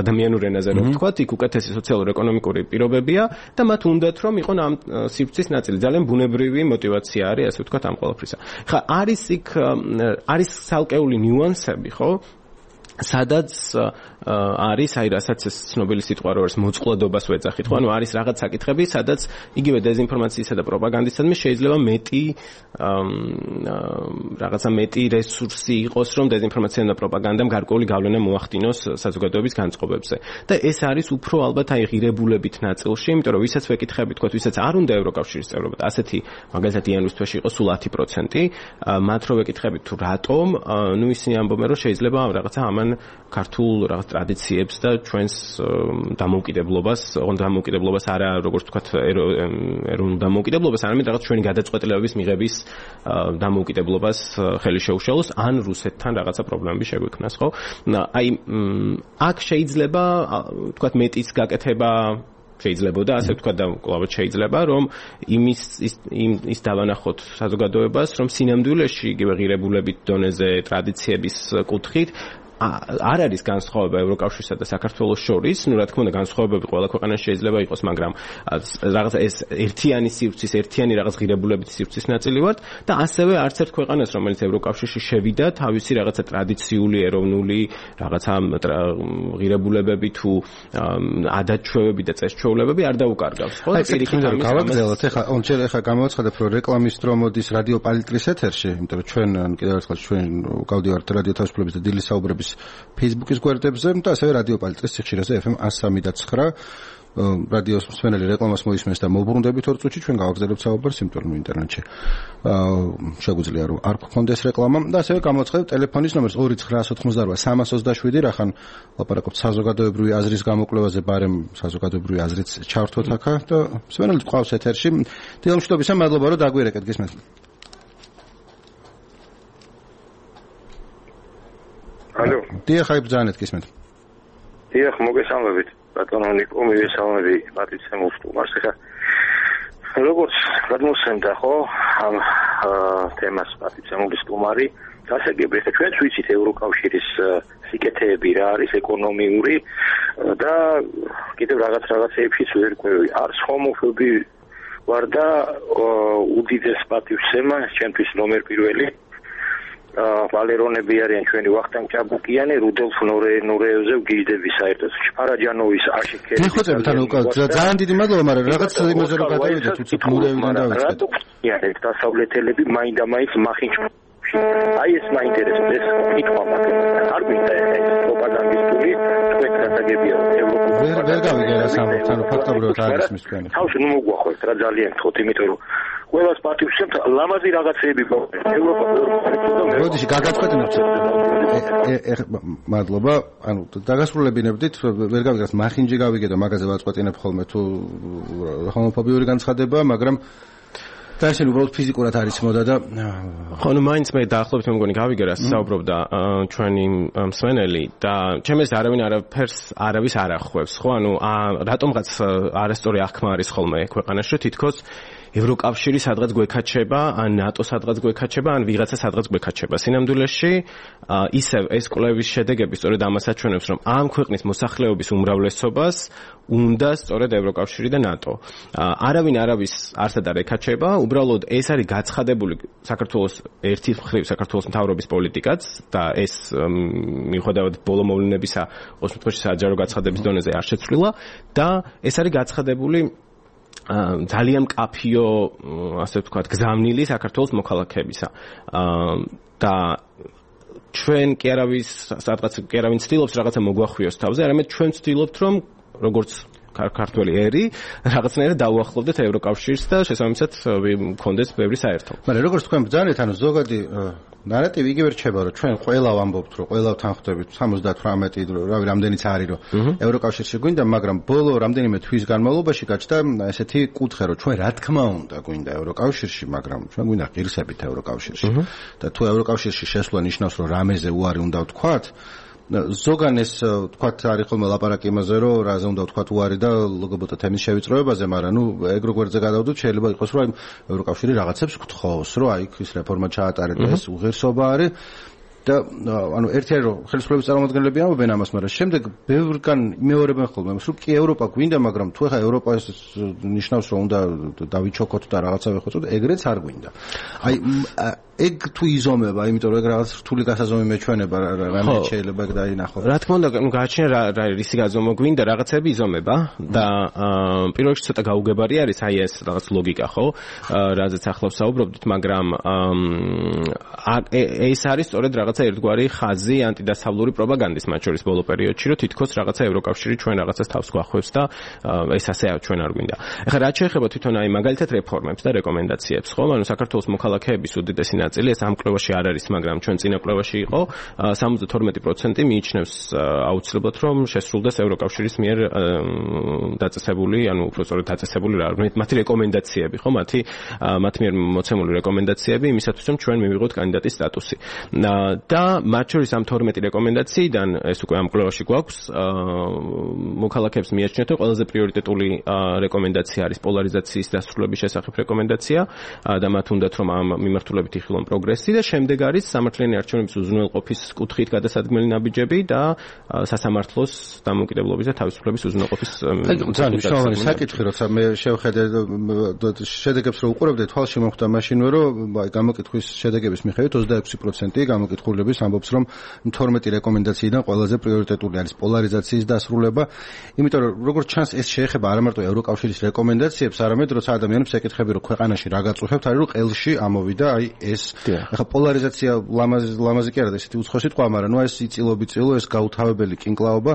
ადამიანურ ენაზე რომ ვთქვათ, იქ უკეთესი სოციალურ-ეკონომიკური პირობებია და მათ უნდათ რომ იყონ ამ სივრცის ნაწილი. ძალიან ბუნებრივი мотивация არის, ასე ვთქვათ, ამ ყველაფრისა. ხა არის ცალკეული ნიუანსები, ხო? სადაც არის აი რასაც ეს ცნობილი სიტყვა რო არის მოწყვლადობას ვეძახით, ხო? ანუ არის რაღაც საკითხები, სადაც იგივე დეзинფორმაციისა და პროპაგანდისადმი შეიძლება რაღაცა მეტი რესურსი იყოს, რომ დეзинფორმაციამ და პროპაგანდამ გარკვეული გავლენა მოახდინოს საზოგადოების განწყობებზე. და ეს არის უფრო ალბათ აი ღირებულებით ნაწილში, იმიტომ რომ ვისაც ვეკითხები, თქვათ, ვისაც არ უნდა ევროკავშირის წევრობა, ასეთი მაგალითად იანვრის თვეში იყო სულ 10%, მათ რო ვეკითხებით თუ რატომ, ნუ ისინი ამბობენ, რომ შეიძლება რაღაცა ამან ქართულ რაღაც ტრადიციებს და ჩვენს დამოუკიდებლობას, ოღონდ დამოუკიდებლობას არა როგორც ვთქვათ ეროვნულ დამოუკიდებლობას, არამედ რაღაც ჩვენი გადაწყვეტილებების მიღების დამოუკიდებლობას ხელი შეუშალოს, ან რუსეთთან რაღაცა პრობლემები შეგვექმნას, ხო? აი აქ შეიძლება ვთქვათ მეტის გაკეთება შეიძლებოდა, ასე ვთქვათ და კლავად შეიძლება, რომ ის დავანახოთ საზოგადოებას, რომ სინამდვილეში იგივე ღირებულებით დონეზე ტრადიციების კუთხით არ არის განსხვავება ევროკავშირსა და საქართველოს შორის, რა თქმა უნდა განსხვავებები ყველა ქვეყანაში შეიძლება იყოს, მაგრამ რაღაც ეს ერთიანი სივრცის, ერთიანი რაღაც ღირებულებითი სივრცის ნაწილი ვართ და ასევე არც ერთ ქვეყანას, რომელიც ევროკავშირში შევიდა, თავისი რაღაცა ტრადიციული, ეროვნული რაღაცა ღირებულებები თუ ადათ-ჩვევები და წეს-ჩვეულებები არ დაუკარგავს, ხო? და პირიქით ამის გავაგრძელოთ, ეხლა გამოვაცხადებ, რომ რეკლამის დრო მოდის რადიო პალიტრის ეთერში, იმიტომ რომ ჩვენ კიდევ ერთხელ ჩვენ გავდივართ რადიო თავისუფლების და დილის საუბრების Facebook-ის გვერდებზე და ასევე რადიო პალიტრის სიხშირეზე FM 103.9 რადიოს მსმენელი რეკლამას მოისმენს და მოუბრუნდებით 2 წუთში ჩვენ გავაგრძელებთ საუბარს, იმიტომ რომ ინტერნეტში შეგვიძლია რომ არ გქონდეს რეკლამა და ასევე გამოვაცხადებ ტელეფონის ნომერს 2998327 რახან ლაპარაკობთ საზოგადოებრივი აზრის გამოკვლევაზე, ბარემ საზოგადოებრივი აზრიც ჩავართვოთ აქა და მსმენელი გყავს ეთერში. დილამშვიდობისა, მადლობა რომ დაგვირეკეთ, გისმენთ. ალო. დიახ, აი ბრძანეთ, გისმენთ. დიახ, მოგესალმებით. ბატონო ნიკო, მივესალმები პატრიცემულ სტუმარს. ეხლა როგორც გადმოსცემდა ხო ამ თემას პატრიცემული სტუმარი, გასაგები, ეხლა ჩვენც ვიცით ევროკავშირის სიკეთეები რა არის ეკონომიური და კიდევ რაღაცეებშიც ვერ ყვევი. არც ჰომოფობი ვარ და უდიდეს პატივსცემა ჩემთვის ნომერ პირველი ვალერონები არიან ჩვენი ვახტანგ ჭაბუკიანი, რუდოლფ ნურეევზე ვგიჟდები საერთოდ. შფარაჯანოვის აშიქერი. გიხოცებით, ანუ ძალიან დიდი მადლობა, მაგრამ რაღაც იმაზე რომ გადავიდეთ, უცებ ნურეევიდან დავიწყეთ. რატო დასავლეთელები მაინდა-მაინც მახინჯ აი ეს მაინტერესებს ეს იქვა მაგრამ არ გვინდა ეს პროპაგანდისტული თქვენ გასაგებია ევროპული ვერ გავიგე რა სამბობთ, ანუ ფაქტობრივად არ არის მის თქვენი. თავში ნუ მოგვახოთ რა ძალიან გთხოვთ, იმიტომ რომ ყველას პატივსცემთ ლამაზი რაღაცეები ევროპა როდეში გაგაწყვეტინებთ მადლობა, ანუ დაგასრულებინებდით, ვერ გავიგეთ მახინჯი გავიგე და მაგაზე ვაწყვეტინებ ხოლმე თუ ჰომოფობიური განცხადება, მაგრამ და ეს უბრალოდ ფიზიკურად არის მოდა და ხო, ნუ მაინც მე დაახლოებით მე მგონი გავიგე რა საუბრობდა ჩვენი მსმენელი და ჩემს არავინ არაფერს არავის არ ახვევს, ხო? ანუ რატომღაც არასწორი აღქმა არის ხოლმე ქვეყანაში, თითქოს ევროკავშირი სადღაც გვეკაჩება, ან ნატო სადღაც გვეკაჩება, ან ვიღაცა სადღაც გვეკაჩება. სინამდვილეში ისევ ეს კვლევის შედეგები სწორედ ამას აჩვენებს, რომ ამ ქვეყნის მოსახლეობის უმრავლესობას უნდა სწორედ ევროკავშირი და ნატო. არავინ არავის არსად არ ეკაჩება, უბრალოდ ეს არის გაცხადებული საქართველოს ერთი მხრივ საქართველოს მთავრობის პოლიტიკაც და ეს მიუხედავად ბოლო მოვლენებისა 20 საჯარო გაცხადების დონეზე არ შეცვლილა და ეს არის გაცხადებული ძალიან მკაფიო, ასე ვთქვათ, გზავნილი საქართველოს მოქალაქეებისა. და ჩვენ კი არავინ ცდილობს რაღაცა მოგვახვიოს თავზე, არამედ ჩვენ ვცდილობთ, რომ როგორც ქართველი ერი, რაღაცნაირად დაუახლოვდეთ ევროკავშირს და შესაბამისად მქონდეს ბევრი საერთო. მაგრამ როგორც თქვენ ბრძანეთ, ანუ ზოგადი ნარატივი იგივე რჩება, რომ ჩვენ ყველა ვამბობთ, რომ ყველა თანხმდებით 78 რავი რამდენიც არის, რომ ევროკავშირში გვინდა, მაგრამ ბოლო რამდენიმე თვის განმავლობაში გაჩნდა ესეთი კუთხე, რომ ჩვენ რა თქმა უნდა გვინდა ევროკავშირში, მაგრამ ჩვენ გვინდა ღირსებით ევროკავშირში. და თუ ევროკავშირში შესვლა ნიშნავს, რომ რამეზე უარი უნდა ვთქვათ, ზოგან ეს თქვათ არის ხოლმე ლაპარაკი იმაზე, რომ რაზე უნდა ვთქვათ უარი და ლგბტ თემის შევიწროებაზე, მაგრამ ნუ ეგრო გვერდზე გადავდოთ, შეიძლება იყოს, რომ ევროკავშირი რაღაცებს გთხოვს, რომ აი ის რეფორმა ჩაატარეთ და ეს უღირსობა არის. და ანუ ერთი არის რომ ხელისუფლების წარმომადგენლები ამბობენ ამას, მაგრამ შემდეგ ბევრგან მეორებენ ხოლმე იმას, რომ კი ევროპა გვინდა, მაგრამ თუ ახლა ევროპა ნიშნავს, რომ უნდა დავიჩოქოთ და რაღაცა ვეხოცოთ, ეგრეც არ გვინდა. აი ეგ თუ იზომება, იმიტომ რომ ეგ რაღაც რთული გასაზომი მეჩვენება, რამე შეიძლება ეგ დაინახო. რა თქმა უნდა, გააჩნია რა რისი გაზომვა გვინდა, რაღაცები იზომება და პირველ რიგში ცოტა გაუგებარი არის აი ეს რაღაც ლოგიკა, ხო? რაზეც ახლა ვსაუბრობდით, მაგრამ ეს არის სწორედ რაღაცა ერთგვარი ხაზი ანტიდასავლური პროპაგანდის, მათ შორის ბოლო პერიოდში, რომ თითქოს რაღაცა ევროკავშირი ჩვენ რაღაცას თავს გვახვევს და ეს ასე ჩვენ არ გვინდა. ეხლა რაც შეეხება თვითონ აი მაგალითად რეფორმებს და რეკომენდაციებს, ხო? ანუ საქართველოს მოქალაქეების უდიდესი ნაწილი ეს ამ კვლევაში არ არის, მაგრამ ჩვენ წინა კვლევაში იყო 72% მიიჩნევს აუცილებლად, რომ შესრულდეს ევროკავშირის მიერ დაწესებული, ანუ უფრო სწორედ დაწესებული რა, მათი რეკომენდაციები, ხო? მათ მიერ მოცემული რეკომენდაციები იმისათვის, რომ ჩვენ მივიღოთ კანდიდატის სტატუსი. და მათ შორის ამ 12 რეკომენდაციიდან ეს უკვე ამ კვლევაში გვაქვს მოქალაქეებს მიაჩნიათ რომ ყველაზე პრიორიტეტული რეკომენდაცია არის პოლარიზაციის დასრულების შესახებ რეკომენდაცია და მათ უნდათ რომ ამ მიმართულებით იხილონ პროგრესი და შემდეგ არის სამართლიანი არჩევნების უზრუნველყოფის კუთხით გადასადგმელი ნაბიჯები და სასამართლოს დამოუკიდებლობის და თავისუფლების უზრუნველყოფის ძალიან მნიშვნელოვანი საკითხი, როცა მე შევხედე შედეგებს რო უყურებდი, თვალში მომხვდა მაშინვე რომ გამოკითხვის შედეგების მიხედვით 26% გამოკითხულების ამბობს რომ 12 რეკომენდაციიდან ყველაზე პრიორიტეტული არის პოლარიზაციის დასრულება, იმიტომ რომ როგორც ჩანს ეს შეეხება არა მარტო ევროკავშირის რეკომენდაციებს, არამედ როცა ადამიანებს ეკითხები რომ ქვეყანაში რა გაწუხებთ, არის რომ ყელში ამოვიდა აი ეს. ახლა პოლარიზაცია ლამაზი კი არა და ესეთი უცხო სიტყვა, მაგრამ ნუ ეს იწილობიწილო, ეს გაუთავებელი კინკლაობა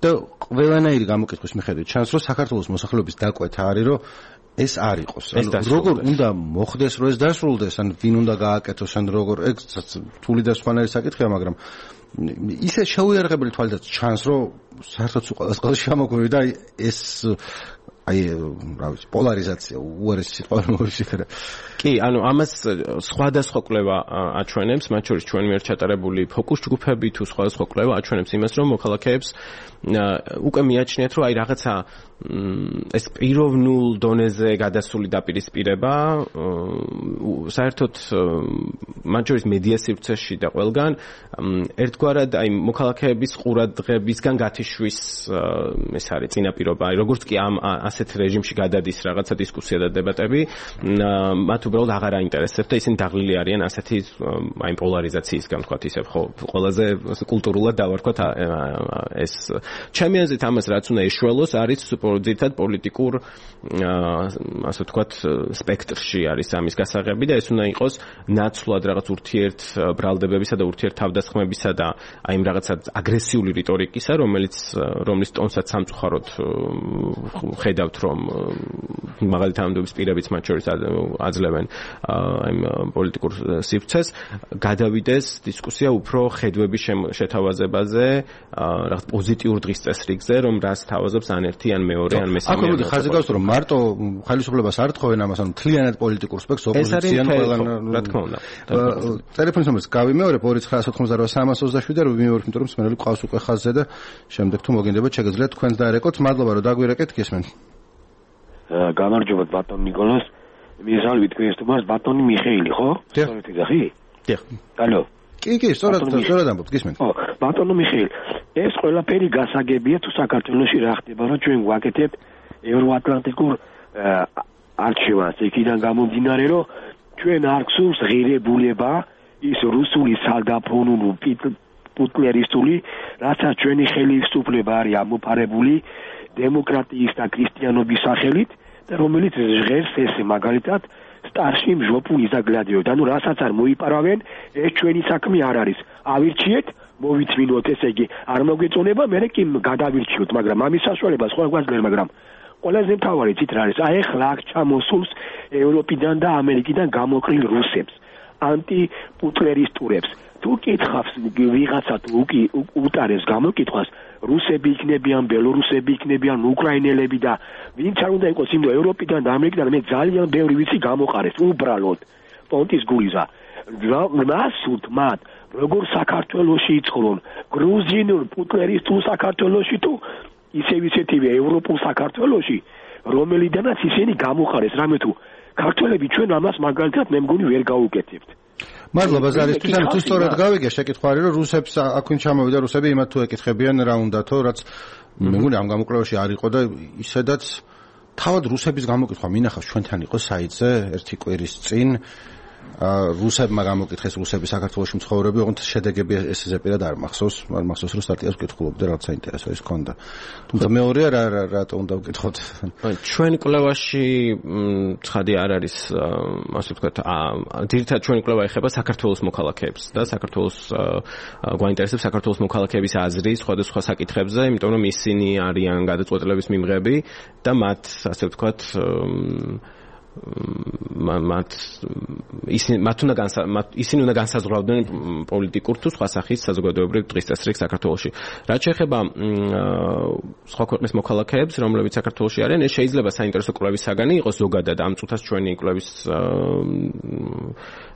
და ყველანაირი გამოკითხვის მიხედვით ჩანს რომ საქართველოს მოსახლეობის დაკვეთა არის რომ ეს არ იყოს. როგორ უნდა მოხდეს რომ ეს დასრულდეს, ან ვინ უნდა გააკეთოს, ან როგორ ეგ თული და სხვანაირი საკითხია, მაგრამ ისე შეუიარაღებელი თვალითაც ჩანს რომ საერთოდ ყველას შემოგვივიდა ეს აი რა ვიცი პოლარიზაცია უარესი სიტყვა მოიშიფერა. კი, ანუ ამას სხვადასხვა კვლევა აჩვენებს, მათ შორის ჩვენ მიერ ჩატარებული ფოკუს ჯგუფები თუ სხვადასხვა კვლევა აჩვენებს იმას, რომ მოქალაქეებს უკვე მიაჩნიათ, რომ აი რაღაცა ეს პიროვნულ დონეზე გადასული დაპირისპირება საერთოდ მათ შორის მედია სივრცეში და ყველგან ერთგვარად აი მოქალაქეების ყურადღებისგან გათიშვის ეს არის წინაპირობა. აი როგორც კი ამ ასეთ რეჟიმში გადადის რაღაცა დისკუსია და დებატები, მათ უბრალოდ აღარ აინტერესებს და ისინი დაღლილი არიან ასეთი აი პოლარიზაციისგან, თქვათ ისე, ხო, ყველაზე კულტურულად დავარქვათ ეს. ჩემი აზრით ამას რაც უნდა ეშველოს არის ძირითადად პოლიტიკურ ასე ვთქვათ სპექტრში არის ამის გასაღები და ეს უნდა იყოს ნაცვლად რაღაც ურთიერთ ბრალდებებისა და ურთიერთ თავდასხმებისა და აი იმ რაღაცა აგრესიული რიტორიკისა, რომლის ტონსაც სამწუხაროდ ხედავთ რომ მაღალი თანამდებობის პირებიც მათ შორის აძლევენ აი პოლიტიკურ სივრცეს, გადავიდეს დისკუსია უფრო ხედვების შეთავაზებაზე, რაღაც პოზიტიურ დღის წესრიგზე, რომ რას თავაზობს ან ერთი ან მეორე ან მესამე. აქ მოდი ხაზი გავსო რომ მარტო ხელისუფლებას არ თხოვენ ამას, ანუ მთლიანად პოლიტიკურ სპექტრს ოპოზიციამ ყველან რა თქმა უნდა. ტელეფონის ნომერს გავიმეორებ 2988327 და ვიმეორებ, იმიტომ რომ სმენელი ყავს უკვე ხაზზე და შემდეგ თუ მოგინდებათ შეგიძლიათ თქვენს დაერეკოთ. მადლობა რომ დაგვირეკეთ, გისმენთ. გამარჯობა ბატონ ნიკოლას. მისალვი თქვენს თმას ბატონი მიხეილი, ხო? სწორედ იზახი? დიახ. ალო. კი, სწორად ამბობთ, გისმენთ. ხო, ბატონო მიხეილი. ეს ყველაფერი გასაგებია თუ საქართველოში რა ხდება, რომ ჩვენ ვაკეთებთ ევროატლანტიკურ არჩევანს, იქიდან გამომდინარე, რომ ჩვენ არ გსურს ღირებულება ის რუსული სალდაფონული პუტლერისტული, რასაც ჩვენი ხელისუფლება არის ამოფარებული დემოკრატიის და ქრისტიანობის სახელით და რომელიც ჟღერს ეს მაგალითად სტარში მჟოპუ იზაგლადიო და ნუ რასაც არ მოიპარავენ, ეს ჩვენი საქმე არ არის. ავირჩიეთ, მოვიწმინოთ, ესე იგი არ მოგვეწონება, მე კი გადავირჩიოთ, მაგრამ ამის საშუალებას ხო გვაძლევს, მაგრამ ყველაზე მთავარი ცით რა არის? აი ახლა აქ ჩამოსულს ევროპიდან და ამერიკიდან გამოკრილ რუსებს, ანტიპუტლერისტურებს. თუ კითხავს ვიღაცა თუ უტარებს გამოკითხვას, რუსები იქნებიან, ბელორუსები იქნებიან, უკრაინელები და ვინც არ უნდა იყოს იმ ევროპიდან და ამერიკიდან, მე ძალიან ბევრი ვიცი გამოყარეს უბრალოდ პონტის გულიზა. მასუთ მათ როგორ საქართველოში იცხოვრონ, გრუზინულ პუტლერისტულ საქართველოში თუ ისეთივე ევროპულ საქართველოში, რომელიდანაც ისინი გამოყარეს, რამე თუ ქართველები ჩვენ ამას მაგალითად მე მგონი ვერ გავუკეთებთ. მადლობა ზარისთვის, ანუ თუ სწორად გავიგე, შეკითხვა არის რომ რუსებს აქვინ ჩამოვიდა რუსები, იმათ თუ ეკითხებიან რა უნდათო, რაც მე მგონი ამ გამოკვლევაში არ იყო და ისედაც თავად რუსების გამოკითხვა მინახავს ჩვენთან იყო საიტზე ერთი კვირის წინ. რუსებმა გამოკითხეს რუსები საქართველოში მცხოვრები, ოღონდ შედეგები ესეზე პირად არ მახსოვს, მახსოვს რომ სტატიას ვკითხულობდი, რაღაც საინტერესო ის ქონდა. თუმცა მეორეა რატო უნდა ვკითხოთ? ჩვენ კვლევაში ცხადი არ არის, ასე ვთქვათ, ძირითადად ჩვენი კვლევა ეხება საქართველოს მოქალაქეებს და საქართველოს გვაინტერესებს საქართველოს მოქალაქეების აზრი სხვადასხვა საკითხებზე, იმიტომ რომ ისინი არიან გადაწყვეტილების მიმღები და მათ, ასე ვთქვათ, ისინი უნდა განსაზღვრავდნენ პოლიტიკურ თუ სხვა სახის საზოგადოებრივ დღის წესრიგს საქართველოში. რაც შეეხება სხვა ქვეყნის მოქალაქეებს, რომლებიც საქართველოში არიან, ეს შეიძლება საინტერესო კვლევის საგანი იყოს ზოგადად ამ წუთას ჩვენი კვლევის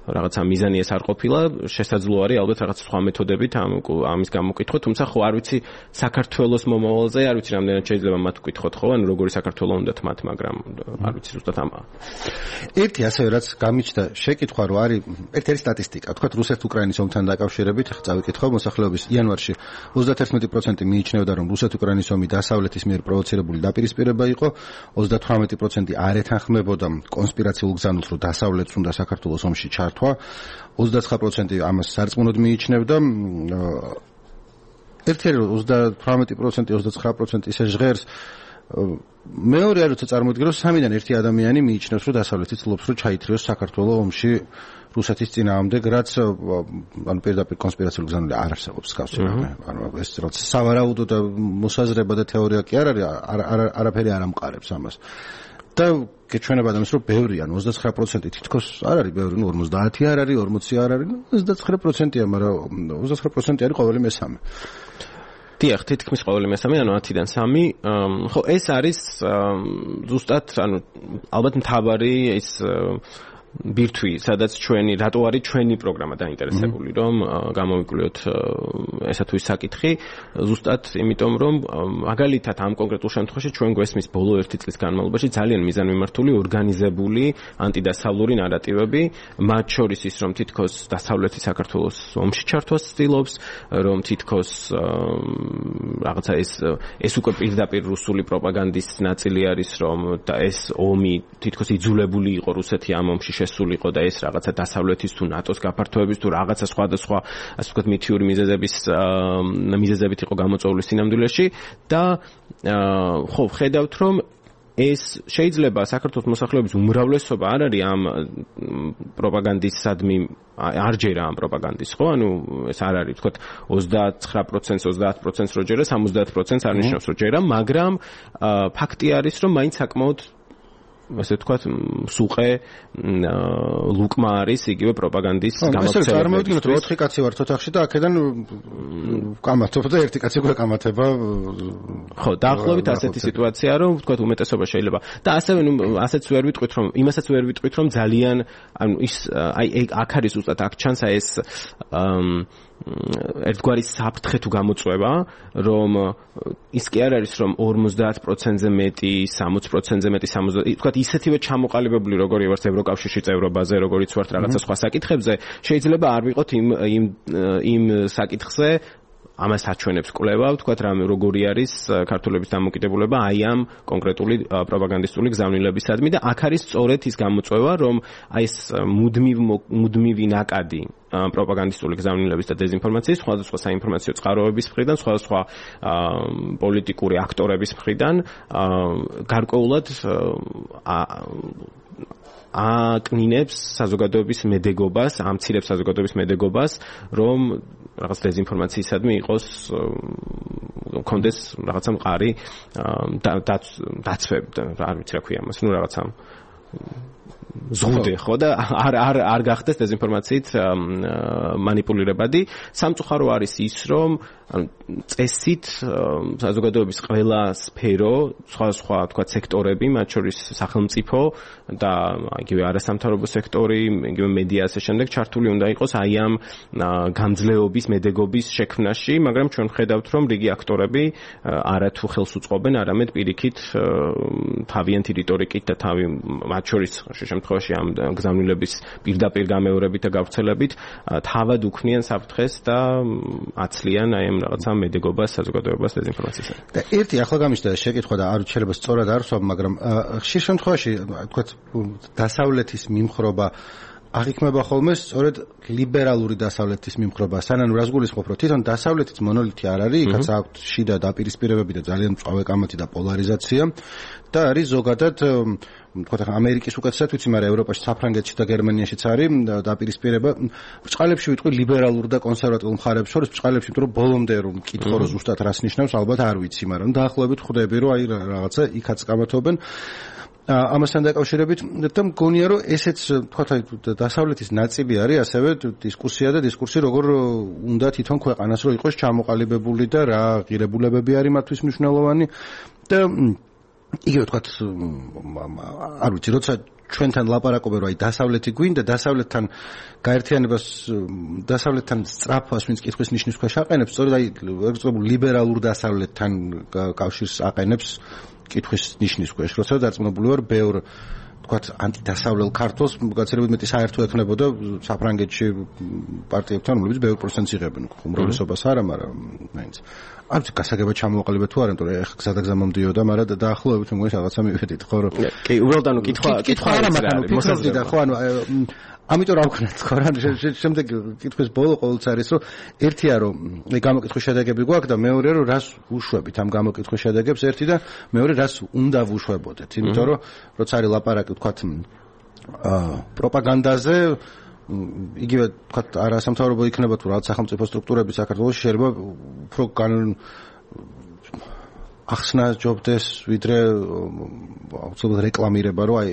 რაღაცა მიზანი ეს არ ყოფილა, შესაძლოა არის ალბათ რაღაც სხვა მეთოდებით ამის გამოკითხვა, თუმცა ხო არ ვიცი საქართველოს მომავალზე, არ ვიცი რამდენად შეიძლება მათ ვკითხოთ ხო, ანუ როგორი საქართველო უნდათ მათ, მაგრამ არ ვიცი ზუსტად ამა. ერთი ასევე რაც გამიჩნდა შეკითხვა რომ არის ერთ-ერთი სტატისტიკა, თქვათ რუსეთ-უკრაინის ომთან დაკავშირებით, ხა წავიკითხო მოსახლეობის იანვარში 31% მიიჩნევდა რომ რუსეთ-უკრაინის ომი დასავლეთის მიერ პროვოცირებული დაპირისპირება იყო, 38% არ ეთანხმებოდა კონსპირაციულ გზავნილს რომ დასავლეთს უნდა საქართველოს ომში ჩართვა, 29% ამას სარწმუნოდ მიიჩნევდა, ერთ-ერთი 38% 29% ისე ჟღერს მეორე არ როცა წარმოიდგინე რომ სამიდან ერთი ადამიანი მიიჩნევს რომ დასავლეთი ცდილობს რომ ჩაითრიოს საქართველოს ომში რუსეთის წინააღმდეგ, რაც ანუ პირდაპირ კონსპირაციულ გზავნილი არ არსებობს გასცემ. ანუ ეს რაც სავარაუდო და მოსაზრება და თეორია კი არ არის, არაფერი არ ამყარებს ამას. და გეჩვენება ადამიანს რომ ბევრი, ანუ 29% თითქოს არ არის ბევრი, 50 არ არის, 40 არ არის, 29%-ია, მაგრამ 29% არის ყოველი მესამე. დიახ, თითქმის ყოველი მესამე, ანუ 10-დან 3. ხო, ეს არის ზუსტად, ანუ ალბათ მთავარი ის ბირთვი, სადაც რატო არის ჩვენი პროგრამა დაინტერესებული, რომ გამოვიკვლიოთ ესა თუ ის საკითხი, ზუსტად იმიტომ, რომ მაგალითად ამ კონკრეტულ შემთხვევაში ჩვენ გვესმის ბოლო 1 წლის განმავლობაში ძალიან მიზანმიმართული, ორგანიზებული ანტიდასავლური ნარატივები, მათ შორის ის, რომ თითქოს დასავლეთი საქართველოს ომში ჩართვას ცდილობს, რომ თითქოს რაღაცა ეს უკვე პირდაპირ რუსული პროპაგანდის ნაწილი არის, რომ ეს ომი თითქოს იძულებული იყო რუსეთი ამ ომში შესულიყო და ეს რაღაცა დასავლეთის თუ ნატოს გაფართოების თუ რაღაცა სხვადასხვა ასე ვთქვათ მითიური მიზეზებით იყო გამოწვეული სინამდვილეში და ხო ხედავთ რომ ეს შეიძლება საქართველოს მოსახლეობის უმრავლესობა არ არის ამ პროპაგანდისადმი არ ჯერა ამ პროპაგანდის ხო ანუ ეს არ არის ვთქვათ 29%, 30% რო ჯერა 70% არ ნიშნავს რომ ჯერა მაგრამ ფაქტი არის რომ მაინც საკმაოდ ასე ვთქვათ, სუყე ლუკმა არის იგივე პროპაგანდის გამოცემები. ეს წარმოიდგინოთ, რომ 4 კაცი ვართ ოთახში და აქედან კამათობ და ერთი კაცი უკვე კამათება. ხო, დაახლოებით ასეთი სიტუაციაა, რომ ვთქვათ, უმეტესობა შეიძლება. და ასევე ასეც ვერ ვიტყვით, რომ იმასაც ვერ ვიტყვით, რომ ძალიან ანუ ის აი აქ არის ზუსტად აქ ჩანს აი ეს ერთგვარი საფრთხე თუ გამოწვევა, რომ ის კი არ არის, რომ 50%-ზე მეტი, 60%-ზე მეტი, 70%, თქვათ ისეთივე ჩამოყალიბებული, როგორი ვართ ევროკავშირში წევრობაზე, როგორიც ვართ რაღაცა სხვა საკითხებზე, შეიძლება არ ვიყოთ იმ საკითხზე ამას აჩვენებს კვლევა, ვთქვათ, როგორი არის ქართველების დამოკიდებულება აი ამ კონკრეტული პროპაგანდისტული გზავნილებისადმი და აქ არის სწორედ ის გამოწვევა, რომ აი ეს მუდმივი ნაკადი პროპაგანდისტული გზავნილების და დეзинფორმაციის სხვადასხვა საინფორმაციო წყაროების მხრიდან, სხვადასხვა პოლიტიკური აქტორების მხრიდან გარკვეულად აკნინებს საზოგადოების მედეგობას, ამცირებს საზოგადოების მედეგობას, რომ რაღაც დეзинფორმაციისადმი იყოს კონდეს რაღაცა მყარი დაცვები და არ ვიცი რა ქვია მას, ну რაღაცა ზღუდე ხო და არ გახდეს დეзинფორმაციით მანიპულირებადი. სამწუხარო არის ის, რომ წესით საზოგადოების ყველა სფერო, სხვა თქვა სექტორები, მათ შორის სახელმწიფო და იგივე არასამთავრობო სექტორი, იგივე მედია ასე შემდეგ ჩართული უნდა იყოს აი ამ გამძლეობის, მედეგობის შექმნაში, მაგრამ ჩვენ ხედავთ, რომ რიგი აქტორები არათუ ხელს უწყობენ, არამედ პირიქით თავიანთი რიტორიკით და მათ შორის შემთხვევაში ამ გზავნილების პირდაპირ გამეორებით და გავრცელებით თავად უქმნიან საფრთხეს და აცლიან აი ამ რაღაცა მედეგობას საზოგადოებას დეзинფორმაციასთან. და ერთი ახლა გამიშდა შეკითხვა და არ შეიძლება სწორად არ ვსვამ, მაგრამ ხშირ შემთხვევაში თქვათ დასავლეთის მიმხრობა აღიქმება ხოლმე სწორედ ლიბერალური დასავლეთის მიმხრობა. სანამ რას გულისხმობ, რომ თვითონ დასავლეთის მონოლითი არ არის, იქაც აქვს შიდა დაპირისპირებები და ძალიან მწვავე კამათი და პოლარიზაცია და არის ზოგადად თქვათ ამერიკის უკეთესად ვიცი, მაგრამ ევროპაში, საფრანგეთში და გერმანიაშიც არის დაპირისპირება. ბრჭყალებში ვიტყვი ლიბერალურ და კონსერვატიულ მხარეებს შორის, ბრჭყალებში, იმიტომ რომ ბოლომდე რომ მკითხო რომ ზუსტად რას ნიშნავს, ალბათ არ ვიცი, მაგრამ დაახლოებით ხვდები, რომ აი რაღაცა იქაც კამათობენ. ამასთან დაკავშირებით და მგონია რომ ესეც თქვათ აი დასავლეთის ნაწილი არის ასევე დისკუსია და დისკურსი როგორ უნდა თვითონ ქვეყანას რომ იყოს ჩამოყალიბებული და რა ღირებულებები არის მათთვის მნიშვნელოვანი და იგივე თქვათ არ ვიცი როცა ჩვენთან ლაპარაკობენ რომ აი დასავლეთი გვინდა დასავლეთთან გაერთიანებას დასავლეთთან სწრაფას ვინც კითხვის ნიშნის ქვეშ აყენებს სწორედ აი ეგრეთ ლიბერალურ დასავლეთთან კავშირს აყენებს კითხვის ნიშნის ქვეშ როცა დარწმუნებული ვარ ბევრ თქვათ ანტიდასავლელ ქართულს გაცილებით მეტი საერთო ექნებოდა საფრანგეთში პარტიებთან რომლებიც ბევრ პროცენტს იღებენ უმრავლესობას არა მაგრამ მაინც არც გასაგება ჩამოვაყალიბეთ თუ არა იმიტომ რომ ეხლა გზადაგზა მომდიოდა მაგრამ დაახლოებით მე მგონი რაღაცა მივედით ხო რომ კი უბრალოდ ანუ კითხვა არა მაგრამ მოსაზრება და ხო ანუ ამიტომ რა ვქნათ ხო რა შემდეგ კითხვის ბოლო ყოველთვის არის რომ ერთია რომ მე გამოკითხვის შედეგები გვაქვს და მეორე რომ რას უშვებით ამ გამოკითხვის შედეგებს ერთი და მეორე რას უნდა ვუშვებოდეთ იმიტომ რომ როცა არის ლაპარაკი ვთქვათ პროპაგანდაზე იგივე ვთქვათ არასამთავრობო იქნება თუ რაღაც სახელმწიფო სტრუქტურები საქართველოში შეიძლება უფრო ახსნა ჯობდეს ვიდრე აუცილებლად რეკლამირება რომ აი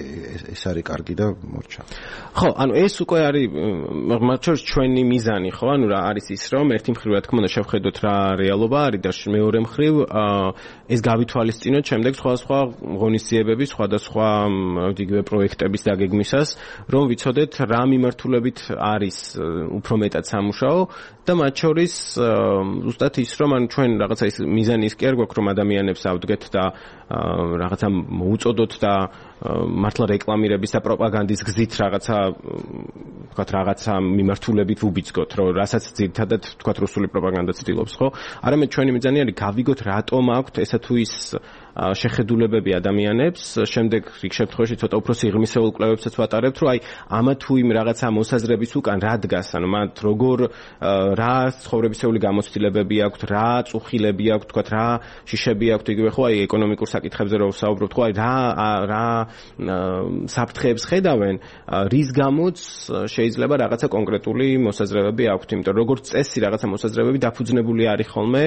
ეს არის კარგი და მორჩა. ხო, ანუ ეს უკვე არის მათ შორის ჩვენი მიზანი, ხო? ანუ რა არის ის რომ ერთი მხრივ რა თქმა უნდა შევხედოთ რა რეალობა არის და მეორე მხრივ ეს გავითვალისწინოთ შემდეგ სხვადასხვა ღონისძიებების, სხვადასხვა იგივე პროექტების დაგეგმვისას, რომ ვიცოდეთ რა მიმართულებით არის უფრო მეტად სამუშაო და მათ შორის ზუსტად ის რომ ანუ ჩვენ რაღაცა ის მიზანი ის კი არ გვაქვს რომ ადამიანებს ავდგეთ და რაღაცა მოუწოდოთ და მართლა რეკლამირების და პროპაგანდის გზით რაღაცა ვთქვათ რაღაცა მიმართულებით ვუბიძგოთ რომ რასაც ძირითადად ვთქვათ რუსული პროპაგანდა ცდილობს ხო არამედ ჩვენი მიზანი არის გავიგოთ რატომ აქვთ ესა თუ ის შეხედულებები ადამიანებს შემდეგ იქ შემთხვევაში ცოტა უფრო სიღრმისეულ კვლევებსაც ვატარებთ რომ აი ამა თუ იმ რაღაცა მოსაზრების უკან რა დგას ანუ მათ როგორ რა ცხოვრებისეული გამოცდილებები აქვთ რა წუხილები აქვთ თქვათ რა შიშები აქვთ იგივე ხო აი ეკონომიკურ საკითხებზე რო ვსაუბრობთ ხო აი რა საფრთხეებს ხედავენ რის გამოც შეიძლება რაღაცა კონკრეტული მოსაზრებები აქვთ იმიტომ როგორც წესი რაღაცა მოსაზრებები დაფუძნებული არის ხოლმე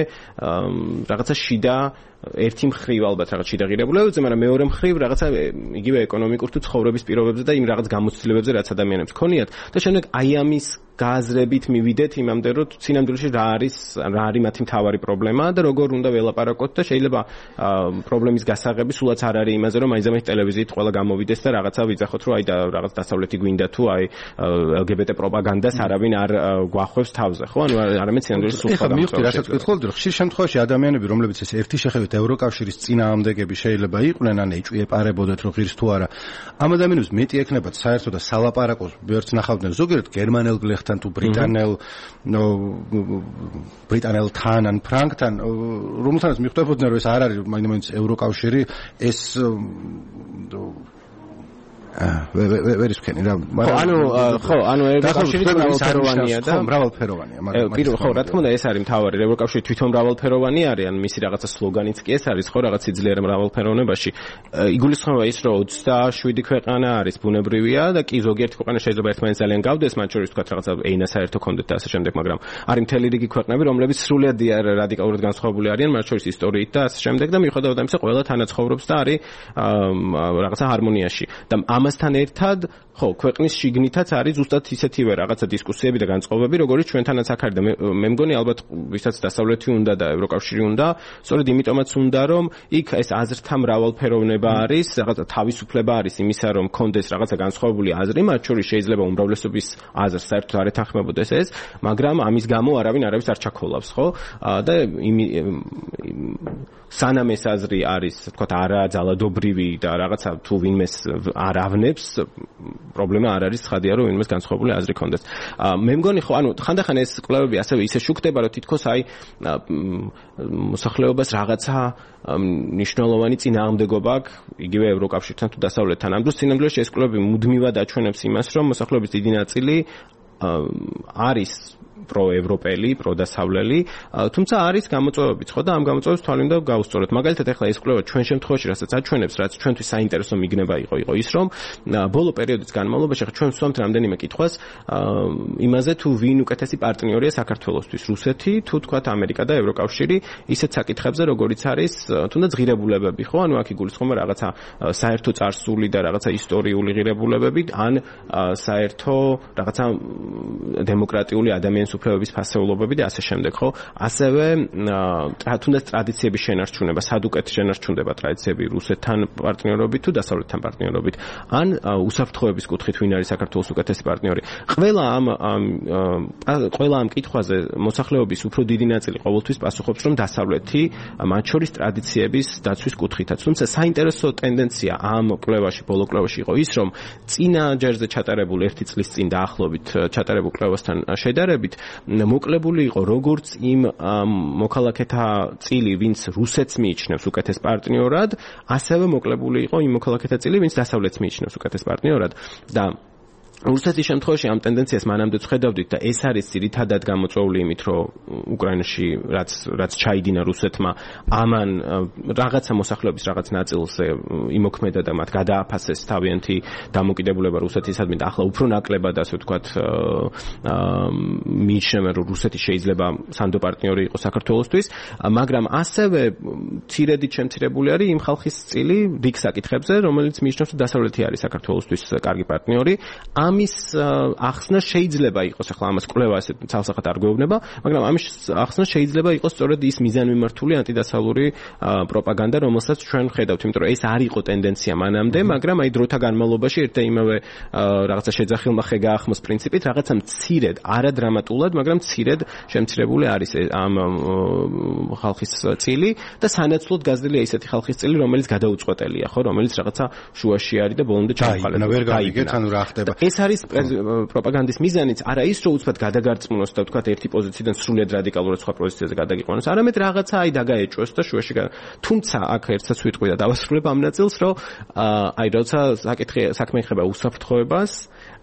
რაღაცა შიდა ერთი მხრივ ალბათ რაღაც შიდა ღირებულებებზე, მაგრამ მეორე მხრივ რაღაცა იგივე ეკონომიკურ თუ ცხოვრების პირობებზე და იმ რაღაც გამოცდილებებზე, რაც ადამიანებს ქონიათ და შემდეგ აი ამის გააზრებით მივიდეთ იმამდე, რომ სინამდვილეში რა არის მათი მთავარი პრობლემა და როგორ უნდა ველაპარაკოთ და შეიძლება პრობლემის გასაღები სულაც არ არის იმაზე, რომ აიზამეთ ტელევიზიით ყველა გამოვიდეს და რაღაცა ვიძახოთ, რომ აი და რაღაც დასავლეთი გვინდა თუ აი LGBT პროპაგანდას არავინ არ გვახვევს თავზე, ხო? ანუ არამედ სინამდვილეში სულ სხვა მივხვდი, რასაც გითხოთ, რომ ხშირ შემთხვევაში ადამიანები, რომლებიც ეს ერთი შეხედვით ევროკავშირის წინააღმდეგები შეიძლება იყვნენ, ან ეჭვი ეპარებოდეთ, რომ ღირს თუ არა. ამ ადამიანებს მეტი ექნებათ საერთოდ და სალაპარაკოს ვერც ნახავდნენ ზოგიერთ გერმანელ გლეხთან თუ ბრიტანელთან ან ფრანგთან, რომელთანაც მიხვდებოდნენ, რომ ეს არ არის მაინც ევროკავშირი, ეს ვერის ვქენი რა ანუ ევროკავშირი მრავალფეროვანია და მრავალფეროვანია მაგრამ ხო რა თქმა უნდა ეს არის მთავარი ევროკავშირი თვითონ მრავალფეროვანი არის ან მისი რაღაცა სლოგანიც კი ეს არის ხო რაღაც იძლიერა მრავალფეროვნებაში იგულისხმება ის რომ 27 ქვეყანა არის ბუნებრივია და კი ზოგიერთი ქვეყანა შეიძლება ერთმანეთს ძალიან გავდეს მათ შორის თქვა რაღაცა ენა საერთო კონდეთ და ასე შემდეგ მაგრამ არის მთელი რიგი ქვეყნები რომლებიც სრულიად რადიკალურად განსხვავებული არიან მათ შორის ისტორიით და ასე შემდეგ და მიუხედავად ამისა ყველა თანაცხოვრობს და არის რაღაცა ჰარმონიაში და ამასთან ერთად, ხო, ქვეყნის შიგნითაც არის ზუსტად ისეთივე რაღაცა დისკუსიები და განწყობები, როგორც ჩვენთანაც აქ არის და მე მგონი ალბათ ვისაც დასავლეთი უნდა და ევროკავშირი უნდა, სწორედ იმიტომაც უნდა რომ იქ ეს აზრთა მრავალფეროვნება არის, რაღაცა თავისუფლება არის იმისა, რომ კონდეს რაღაცა განსხვავებული აზრი, მათ შორის შეიძლება უმრავლესობის აზრს საერთოდ არ ეთანხმებოდეს ეს, მაგრამ ამის გამო არავინ არავის არ ჩაქოლავს, ხო? და სანამ ეს აზრი არის, თქვათ, არა ძალადობრივი და რაღაცა თუ ვინმეს არ ავნებს, პრობლემა არ არის, ცხადია, რომ ვინმეს განსხვავებული აზრი კონდეს. მე მგონი ხო, ანუ ხანდახან ეს კვლევები ასევე ისე შუქდება, რომ თითქოს აი მოსახლეობას რაღაცა მნიშვნელოვანი წინააღმდეგობა აქვს, იგივე ევროკავშირთან თუ დასავლეთთან. ამ დროს სინამდვილეში ეს კვლევები მუდმივად აჩვენებს იმას, რომ მოსახლეობის დიდი ნაწილი არის პროევროპელი, პროდასავლელი, თუმცა არის გამოწვევებიც, ხო და ამ გამოწვევებს თვალე უნდა გავუსწოროთ. მაგალითად, ახლა ეს კვლევა ჩვენ შემთხვევაში, რასაც აჩვენებს, რაც ჩვენთვის საინტერესო მიგნება იყო ის, რომ ბოლო პერიოდის განმავლობაში ახლა ჩვენ ვსვამთ რამდენიმე კითხვას იმაზე, თუ ვინ უკეთესი პარტნიორია საქართველოსთვის, რუსეთი, თუ თქვათ ამერიკა და ევროკავშირი, ისეთ საკითხებზე, როგორიც არის თუნდაც ღირებულებები, ხო? ანუ აქ იგულისხმება რაღაცა საერთო წარსული და რაღაცა ისტორიული ღირებულებები, ან საერთო რაღაცა დემოკრატიული ადამიანის ადამიანის უფლებების ფასეულობები და ასე შემდეგ, ხო? ასევე თუნდაც ტრადიციების შენარჩუნება, სადუკეთ შენარჩუნდება ტრადიციები რუსეთთან პარტნიორობით თუ დასავლეთთან პარტნიორობით, ან უსაფრთხოების კუთხით ვინ არის საქართველოს უკეთესი პარტნიორი. ყველა ამ კითხვაზე მოსახლეობის უფრო დიდი ნაწილი ყოველთვის პასუხობს, რომ დასავლეთი მათ შორის ტრადიციების დაცვის კუთხითაც. თუმცა საინტერესო ტენდენცია ამ კვლევაში, ბოლო კვლევაში იყო ის, რომ წინა ჯერზე ჩატარებულ 1 წლის წინ დაახლოებით ჩატარებულ კვლევასთან შედარებით მოკლებული იყო როგორც იმ მოქალაქეთა წილი, ვინც რუსეთს მიიჩნევს უკეთეს პარტნიორად, ასევე მოკლებული იყო იმ მოქალაქეთა წილი, ვინც დასავლეთს მიიჩნევს უკეთეს პარტნიორად და რუსეთის შემთხვევაში ამ ტენდენციას მანამდე ვხედავდით და ეს არის ძირითადად გამოწვეული იმით, რომ უკრაინაში რაც ჩაიდინა რუსეთმა, ამან რაღაცა მოსახლეობის რაღაც ნაწილზე იმოქმედა და მათ გადააფასეს თავიანთი დამოკიდებულება რუსეთისადმი და ახლა უფრო ნაკლებად, ასე ვთქვათ, მიიჩნევენ, რომ რუსეთი შეიძლება სანდო პარტნიორი იყოს საქართველოსთვის, მაგრამ ასევე მცირედით შემცირებული არის იმ ხალხის წილი რიგ საკითხებზე, რომელიც მიიჩნევს, რომ დასავლეთი არის საქართველოსთვის კარგი პარტნიორი. ამის ახსნა შეიძლება იყოს, ახლა ამას კვლევა ესე ცალსახად არ გვეუბნება, მაგრამ ამის ახსნა შეიძლება იყოს სწორედ ის მიზანმიმართული ანტიდასავლური პროპაგანდა, რომელსაც ჩვენ ვხედავთ, იმიტომ რომ ეს არ იყო ტენდენცია მანამდე, მაგრამ აი დროთა განმავლობაში ერთ და იმავე რაღაცა შეძახილმა ხე გაახმოს პრინციპით, რაღაცა მცირედ, არადრამატულად, მაგრამ მცირედ შემცირებული არის ამ ხალხის წილი და სანაცვლოდ გაზრდილია ისეთი ხალხის წილი, რომელიც გადაუწყვეტელია, ხო, რომელიც რაღაცა შუაში არის და ბოლომდე ჩამოყალიბდა. ვერ გავიგეთ, ანუ რა ხდება. ეს არის პროპაგანდის მიზანიც, არა ის, რომ უცბად გადაგარწმუნოს და ვთქვათ ერთი პოზიციიდან სრულიად რადიკალურად სხვა პოზიციაზე გადაგიყვანოს, არამედ რაღაცა აი დაგაეჭვოს და შუაში თუმცა აქ ერთსაც ვიტყვი და დავასრულებ ამ ნაწილს, რომ აი როცა საქმე ეხება უსაფრთხოებას,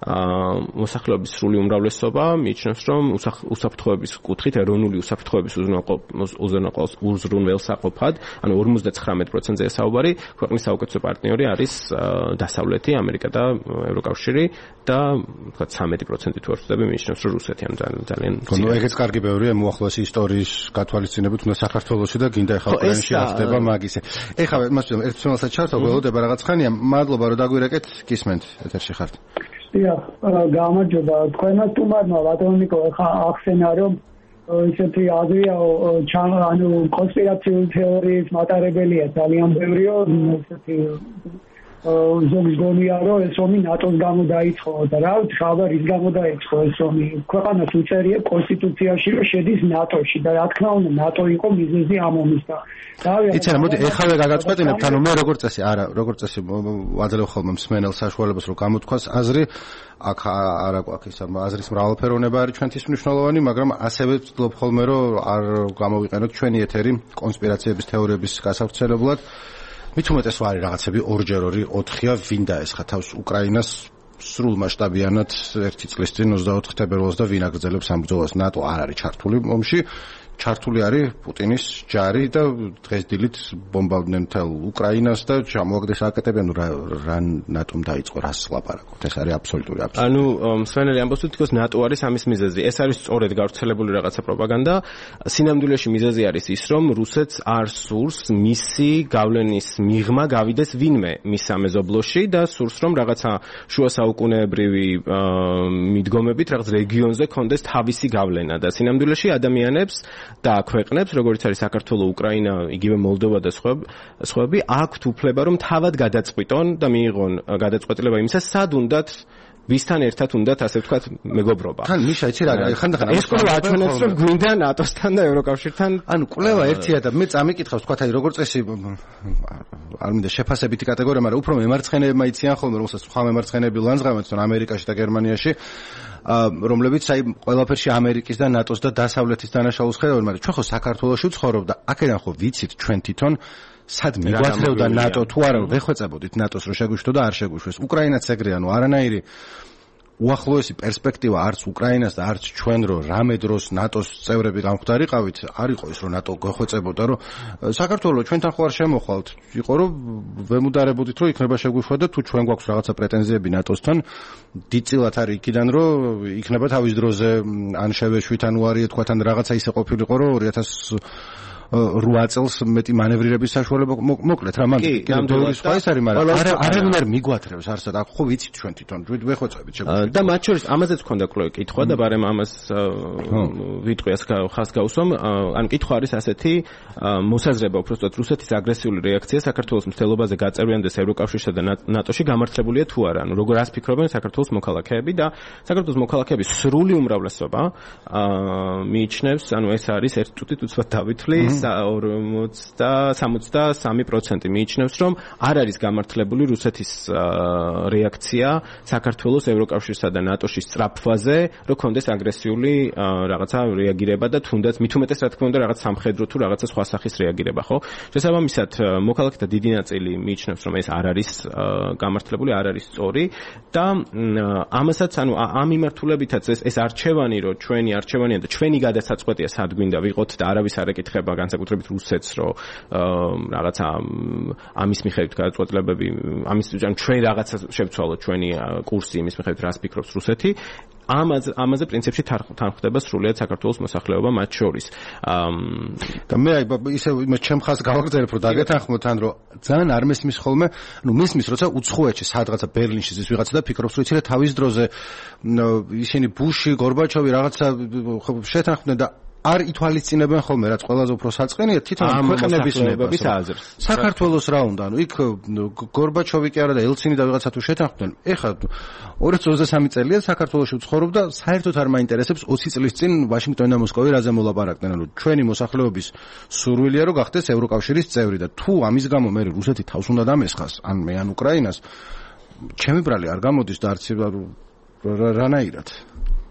მოსახლეობის სრული უმრავლესობა მიიჩნევს, რომ უსაფრთხოების კუთხით, ეროვნული უსაფრთხოების უზრუნველსაყოფად, ანუ 59%-ზე საუბარი, ქვეყნის საუკეთესო პარტნიორი არის დასავლეთი, ამერიკა და ევროკავშირი და ვთქვათ 13% თუ არ ვწდები მიიჩნევს, რომ რუსეთი ან ძალიან ნუ ეგეც კარგი ბევრია მოახლოესი ისტორიის გათვალისწინებით, უნდა საქართველოში და გინდა ეხლა უკრაინაში რა ხდება მაგისე. ეხლა მასწავლე ერთ თემასაც ჩართო, ველოდება რაღაც ხანია, მადლობა რომ დაგვირეკეთ, გისმენთ, ეთერში ხართ. გამარჯობა, თქვენმა სტუმარმა ბატონიკო ხა ახსენა რომ ისეთი აზრია ანუ კონსპირაციული თეორიის მატარებელია ძალიან ბევრიო, ისეთი ზოგის გონია რომ ეს ომი ნატოს გამო დაიწყო და რა ვიცი ხალხი რის გამო დაიწყო ეს ომი, ქვეყანას უწერია კონსტიტუციაში რომ შედის ნატოში და რა თქმა უნდა ნატო იყო მიზეზი ამ ომის და იცი რა მოდი ეხლა გაგაწყვეტინებთ, ანუ მე როგორც წესი ვაძლევ ხოლმე მსმენელ საშუალებას რომ გამოთქვას აზრი, აქ არა გვაქვს ის აზრის მრავალფეროვნება არის ჩვენთვის მნიშვნელოვანი, მაგრამ ასევე ვცდილობ ხოლმე რომ არ გამოვიყენოთ ჩვენი ეთერი კონსპირაციების თეორიების გასავრცელებლად. მით უმეტეს ვარი რაღაცები 2x2 4-ია, ვინ დაესხა თავს უკრაინას სრულ მასშტაბიანად 1 წლის წინ 24 თებერვალს და ვინ აგრძელებს ამ ბრძოლას. ნატო არ არის ჩართული ომში, ჩართული არის პუტინის ჯარი და დღეს დილით ბომბავდნენ მთელ უკრაინას და ჩამოაგდეს აკეტებენ რა ნატომ დაიწყო რას ლაპარაკობთ. ეს არის აბსოლუტური აბსურდი. ანუ მსმენელი ამბობს თუ თქოს ნატო არის ამის მიზეზი. ეს არის სწორედ გავრცელებული რაღაცა პროპაგანდა. სინამდვილეში მიზეზი არის ის, რომ რუსეთს არ სურს მისი გავლენის მიღმა გავიდეს ვინმე მის სამეზობლოში და სურს რომ რაღაცა შუა საუკუნეებრივი მიდგომებით რაღაც რეგიონზე კონდეს თავისი გავლენა და სინამდვილეში ადამიანებს და ქვეყნებს, როგორც არის საქართველო, უკრაინა, იგივე მოლდოვა და სხვები, აქვთ უფლება რომ თავად გადაწყვიტონ და მიიღონ გადაწყვეტილება იმისას, სად უნდათ ვისთან ერთად უნდათ ასე ვთქვათ მეგობრობა. ხან მიშა იცი რა ხანდახან ეს კვლევა აჩვენებს რომ გვინდა ნატოსთან და ევროკავშირთან, ანუ კვლევა ერთია და მე წამიკითხავს თქვათ აი როგორც წესი არ მინდა შეფასებითი კატეგორია, მაგრამ უფრო მემარცხენეებმა იციან ხოლმე, რომელსაც სხვა მემარცხენეები ლანძღავენ თვითონ ამერიკაში და გერმანიაში, რომლებიც აი ყველაფერში ამერიკის და ნატოს და დასავლეთის დანაშაულს ხედავენ, მაგრამ ჩვენ ხო საქართველოში ვცხოვრობ და აქედან ხო ვიცით ჩვენ თვითონ სად მიგვაძლევდა ნატო თუ არა ვეხვეწებოდით ნატოს რომ შეგვიშთო და არ შეგვიშვეს. უკრაინაც ეგრეა, ნუ არანაირი უახლოესი პერსპექტივა არც უკრაინას და არც ჩვენ რომ რამე დროს ნატოს წევრები გამხდარიყავით, არ იყო ის რომ ნატო გვეხვეწებოდა, რომ საქართველოს ჩვენთან ხო არ შემოხვალთ, იყო რომ ვემუდარებოდით რომ იქნება შეგვიშვა და თუ ჩვენ გვაქვს რაღაცა პრეტენზიები ნატოსთან, დიდწილად არის იქიდან რომ იქნება თავის დროზე ან შევეშვით ან უარია თქვათ ან რაღაცა ისე ყოფილიყო რომ 8 წელს მეტი მანევრირების საშუალება მოკლედ რა მაგ კიდევ სხვა ის არის, მაგრამ არავინ არ მიგვათრევს არსად, აქ ხო ვიცით ჩვენ თვითონ ვეხვეწებით შეგვიძლია. და მათ შორის ამაზეც ქონდა კითხვა და ბარემ ამას ვიტყვი ხას გავუსვამ, ან კითხვა არის ასეთი, მოსაზრება უბრალოდ რუსეთის აგრესიული რეაქცია საქართველოს მცდელობაზე გაწევრიანდეს ევროკავშირსა და ნატოში გამართლებულია თუ არა, ანუ როგორ ას ფიქრობენ საქართველოს მოქალაქეები და საქართველოს მოქალაქეების სრული უმრავლესობა მიიჩნევს, ანუ ეს არის ერთ წუთით უცბად დავითვლი 63% მიიჩნევს, რომ არ არის გამართლებული რუსეთის რეაქცია საქართველოს ევროკავშირსა და ნატოში სწრაფვაზე, რომ კონდეს აგრესიული რაღაცა რეაგირება და თუნდაც მით უმეტეს რა თქმა უნდა რაღაც სამხედრო თუ რაღაცა სხვა სახის რეაგირება, ხო? შესაბამისად, მოქალაქეთა დიდი ნაწილი მიიჩნევს, რომ ეს არ არის გამართლებული, არ არის სწორი და ამასაც, ანუ ამ მიმართულებითაც ეს არჩევანი, რომ ჩვენი არჩევანია და ჩვენი გადასაწყვეტია სად გვინდა ვიყოთ და არავის არ ეკითხება განსაკუთრებით რუსეთს, რომ რაღაცა ამის მიხედვით გადაწყვეტილებები, ამის ჩვენ რაღაცა შევცვალოთ ჩვენი კურსი იმის მიხედვით რას ფიქრობს რუსეთი. ამაზე პრინციპში თანხმდება სრულიად საქართველოს მოსახლეობა მათ შორის. და მე ისე ჩემ ხას გავაგრძელებ, რომ დაგეთანხმოთ ან რომ ძალიან არ მესმის ხოლმე, ну მესმის, როცა უცხოეთში სადღაცა ბერლინში ზის ვიღაცა და ფიქრობს, რომ იცი რა თავის დროზე ისინი ბუში, გორბაჩოვი რაღაცა შეთანხმდნენ და არ ითვალისწინებენ ხოლმე, რაც ყველაზე უფრო საწყენია თვითონ ქვეყნების ნებების აზრს. საქართველოს რა უნდა, ანუ იქ გორბაჩოვი კი არა და ელცინი და ვიღაცა თუ შეთანხმდნენ. ეხლა 2023 წელია საქართველოში ვცხოვრობ და საერთოდ არ მაინტერესებს 20 წლის წინ ვაშინგტონი და მოსკოვი რაზე მოლაპარაკდნენ, ანუ ჩვენი მოსახლეობის სურვილია რომ გახდეს ევროკავშირის წევრი და თუ ამის გამო მე რუსეთი თავს უნდა დამესხას, ან მე ან უკრაინას, ჩემი ბრალი არ გამოდის და არც რანაირად.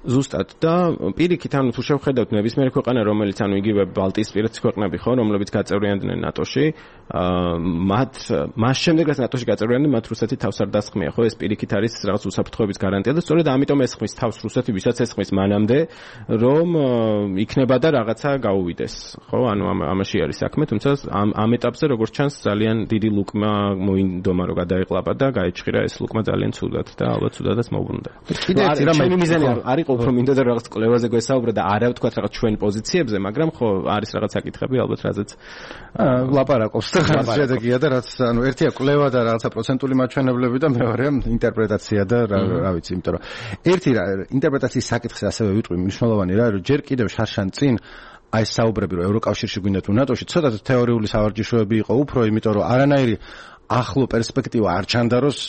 ზუსტად და პირიქით ანუ თუ შევხედავთ ნებისმიერ ქვეყანა რომელიც ანუ იგივე ბალტიისპირეთის ქვეყნები ხო რომლებიც გაწევრიანდნენ ნატოში მას შემდეგ რაც ნატოში გაწევრიანდნენ მათ რუსეთი თავს არ დასხმია ხო ეს პირიქით არის რაღაც უსაფრთხოების გარანტია და სწორედ ამიტომ ესხმის თავს რუსეთი ვისაც ესხმის მანამდე რომ იქნება და რაღაცა გაუვიდეს ხო ანუ ამაში არის საქმე თუმცა ამ ეტაპზე როგორც ჩანს ძალიან დიდი ლუკმა მოინდომა რომ გადაეყლაპა და გაეჭხირა ეს ლუკმა ძალიან ცუდად და ალბათ ცუდადაც მოუბრუნდა კიდე ერთი რამე არის უფრო მინდა და რაღაც კლევაზე გვესაუბრა და არა ვთქვათ რაღაც ჩვენ პოზიციებზე, მაგრამ ხო არის რაღაც საკითხები ალბათ რაზეც ლაპარაკობს და შედეგია და რაც ანუ ერთია კლევა და რაღაცა პროცენტული მაჩვენებლები და მეორეა ინტერპრეტაცია და რა ვიცი, იმიტომ რომ ერთი ინტერპრეტაციის საკითხზე ასევე ვიტყვი მნიშვნელოვანი რა, რომ ჯერ კიდევ შარშან წინ აი საუბრები რომ ევროკავშირში გვინდა თუ ნატოში, ცოტა თეორიული სავარჯიშოები იყო უფრო, იმიტომ რომ არანაირი ახლო პერსპექტივა არ ჩანდაროს,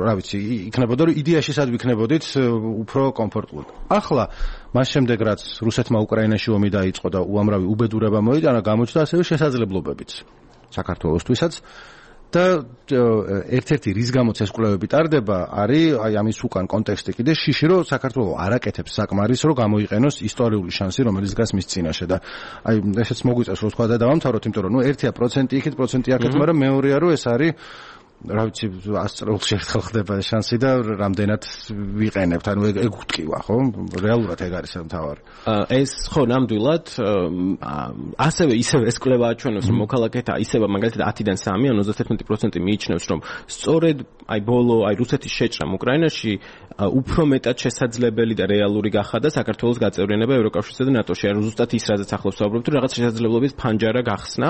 რა ვიცი, იქნებოდა რომ იდეაში სად ვიქნებოდით უფრო კომფორტულად. ახლა მას შემდეგ რაც რუსეთმა უკრაინაში ომი დაიწყო და უამრავი უბედურება მოიტანა, გამოჩნდა ასევე შესაძლებლობებიც საქართველოსთვისაც და ერთ-ერთი რის გამოც ეს კვლევები ტარდება არის აი ამის უკან კონტექსტი კიდე შიში რომ საქართველოს არ აკეთებს საკმარის რომ გამოიყენოს ისტორიული შანსი რომელიც დგას მის წინაშე და აი ესეც მოგვიწევს რომ თქვა და დავამთავროთ იმიტომ რომ ნუ 1% იქით პროცენტი აქეთ მაგრამ მეორეა რომ ეს არის რა ვიცი 100 წელს ერთხელ ხდება შანსი და რამდენად ვიყენებთ ანუ ეგ ვთქვა ხო რეალურად ეგ არის მთავარი ეს ხო ნამდვილად ასევე ისევ ეს კვლევა აჩვენებს რომ მოქალაქეთა ისევა მაგალითად 10-დან 3 ან 31% მიიჩნევს რომ სწორედ აი ბოლო აი რუსეთის შეჭრამ უკრაინაში უფრო მეტად შესაძლებელი და რეალური გახადა საქართველოს გაწევრიანება ევროკავშირსა და ნატოში ან ზუსტად ის რაზეც ახლავს ვსაუბრობთ რომ რაღაც შესაძლებლობის ფანჯარა გახსნა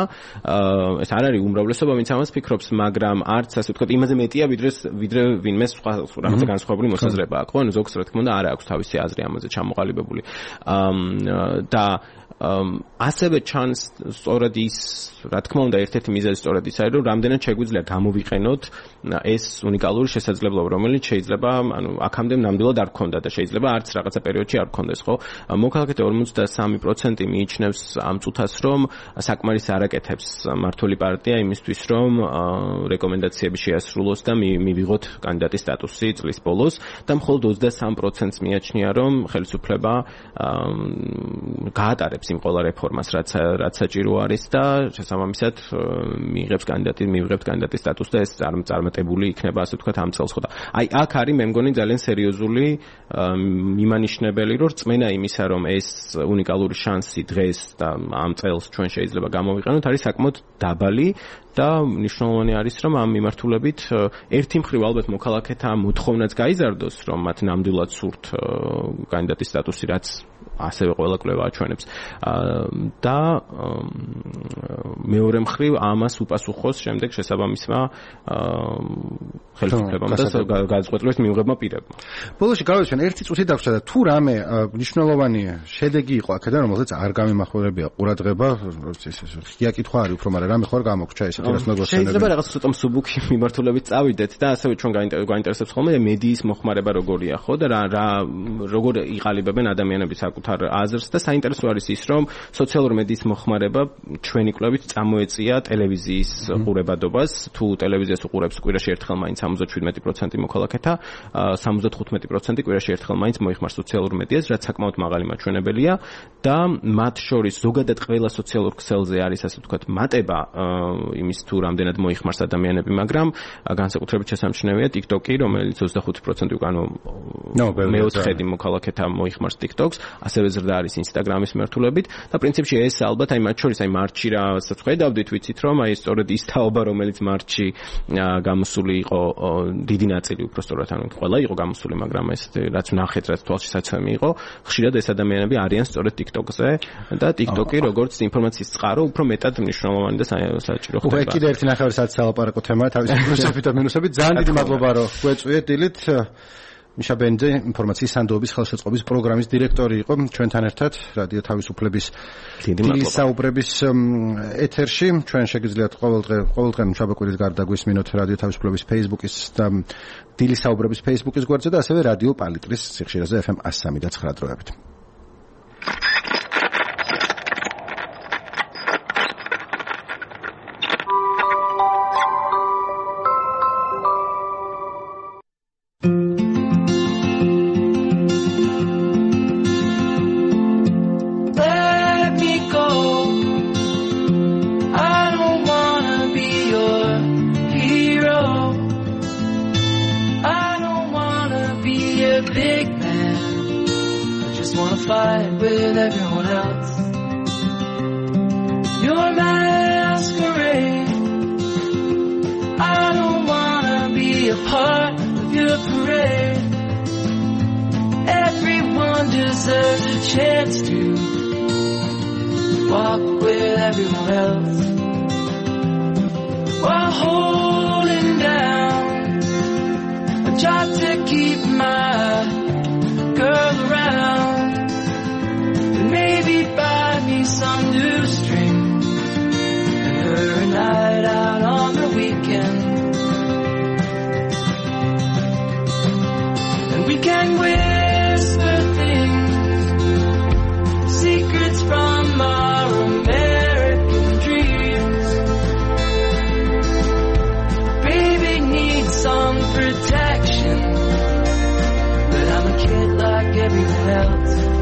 ეს არ არის უმრავლესობა ვინც ამას ფიქრობს მაგრამ არც ასე ვთქვათ იმაზე მეტია ვიდრე ვინმე სხვა რაღაცა განსხვავებული მოსაზრება აქვს ხო ანუ ზოგს რა თქმა უნდა არ აქვს თავისი აზრი ამაზე ჩამოყალიბებული და ასევე ჩანს სწორედ ის რა თქმა უნდა ერთ-ერთი მიზეზი სწორედ ის არის რომ რამდენად შეგვიძლია გამოვიყენოთ ეს უნიკალური შესაძლებლობა რომელიც შეიძლება ანუ აქამდე ნამდვილად არ ქონდა და შეიძლება არც რაღაცა პერიოდში არ ქონდეს ხო მოქალაქეთა 53% მიიჩნევს ამ წუთას რომ საკმარის არ აკეთებს მართული პარტია იმისთვის რომ რეკომენდაციები შეასრულოს და მივიღოთ კანდიდატის სტატუსი წლის ბოლოს და მხოლოდ 23%-ს მიაჩნია რომ ხელისუფლება გაატარებს იმ ყველა რეფორმას რაც საჭირო არის და შესაბამისად მიიღებს კანდიდატის სტატუსს და ეს წარმატებული იქნება ასე ვთქვათ ამ წელს ხო და აი აქ არის მე მგონი ძალიან სერიოზული მიმანიშნებელი რომ რწმენა იმისა რომ ეს უნიკალური შანსი დღეს და ამ წელს ჩვენ შეიძლება გამოვიყენოთ არის საკმაოდ დაბალი და მნიშვნელოვანი არის რომ ამ მიმართულებით ერთი მხრივ ალბათ მოქალაქეთა მოთხოვნაც გაიზარდოს რომ მათ ნამდვილად სურთ კანდიდატის სტატუსი რაც ასევე ყველა კვლევა აჩვენებს. და მეორე მხრივ ამას უპასუხოს შემდეგ შესაბამისმა ხელისუფლებამ და გადაწყვეტილების მიუღებმა პირებმა. ბოლოში გავეცენ ერთი წუთი დაგვჭირდა და თუ რამე მნიშვნელოვანი შედეგი იყო აქედან, რომელზეც არ გამიმახვილებია ყურადღება, ღია კითხვა არის უფრო, მაგრამ რამე ხო არ გამოგრჩა ესეთი რას მეგობრებო. შეიძლება რაღაც ცოტა მსუბუქი მიმართულებით წავიდეთ და ასევე ჩვენ გაინტერესებს ხოლმე მედიის მოხმარება როგორია, ხო და როგორ იყალიბებენ ადამიანები საკუთარ აზრს და საინტერესო არის ის, რომ სოციალური მედიის მოხმარება ჩვენი კვლევით წამოეწია ტელევიზიის ყურებადობას. თუ ტელევიზიას უყურებს კვირაში ერთხელ მაინც 77% მოქალაქეთა, 75% კვირაში ერთხელ მაინც მოიხმარს სოციალურ მედიას, რაც საკმაოდ მაღალი მაჩვენებელია და მათ შორის ზოგადად ყველა სოციალურ ქსელზე არის ასე ვთქვათ მატება იმის თუ რამდენად მოიხმარს ადამიანები, მაგრამ განსაკუთრებით შესამჩნევია TikTok-ი, რომელიც 25% უკანო მეოთხედი მოქალაქეთა მოიხმარს TikTok-ს, ასევე ზრდა არის Instagram-ის მიმართულებით და პრინციპში ეს ალბათ აი მათ შორის აი მარტში რასაც ხედავდით, ვიცით რომ აი სწორედ ის თაობა, რომელიც მარტში გამოსული იყო დიდი ნაწილი უბრალოდ ანუ ყველა იყო გამოსული, მაგრამ ეს რაც ვნახეთ, რაც თვალშისაცემი იყო, ხშირად ეს ადამიანები არიან სწორედ TikTok-ზე და TikTok-ი როგორც ინფორმაციის წყარო უფრო მეტად მნიშვნელოვანი და საჭირო ხდება. უკვე კიდე ერთი ნახევარი საათი სალაპარაკო თემაა თავის პლუსებით და მინუსებით. ძალიან დიდი მადლობა რომ გვეწვიეთ დილით. მიშა ბენძე ინფორმაციის სანდოების ხელშეწყობის პროგრამის დირექტორი იყო ჩვენთან ერთად რადიო თავისუფლების დილის საუბრების ეთერში. ჩვენ შეგიძლიათ ყოველდღე შაბათ-კვირის გარდა გვისმინოთ რადიო თავისუფლების Facebook-ის და დილის საუბრების Facebook-ის გვერდზე და ასევე რადიო პალიტრის სიხშირეზე FM 103.9 დროებით. Protection, but I'm a kid like everyone else.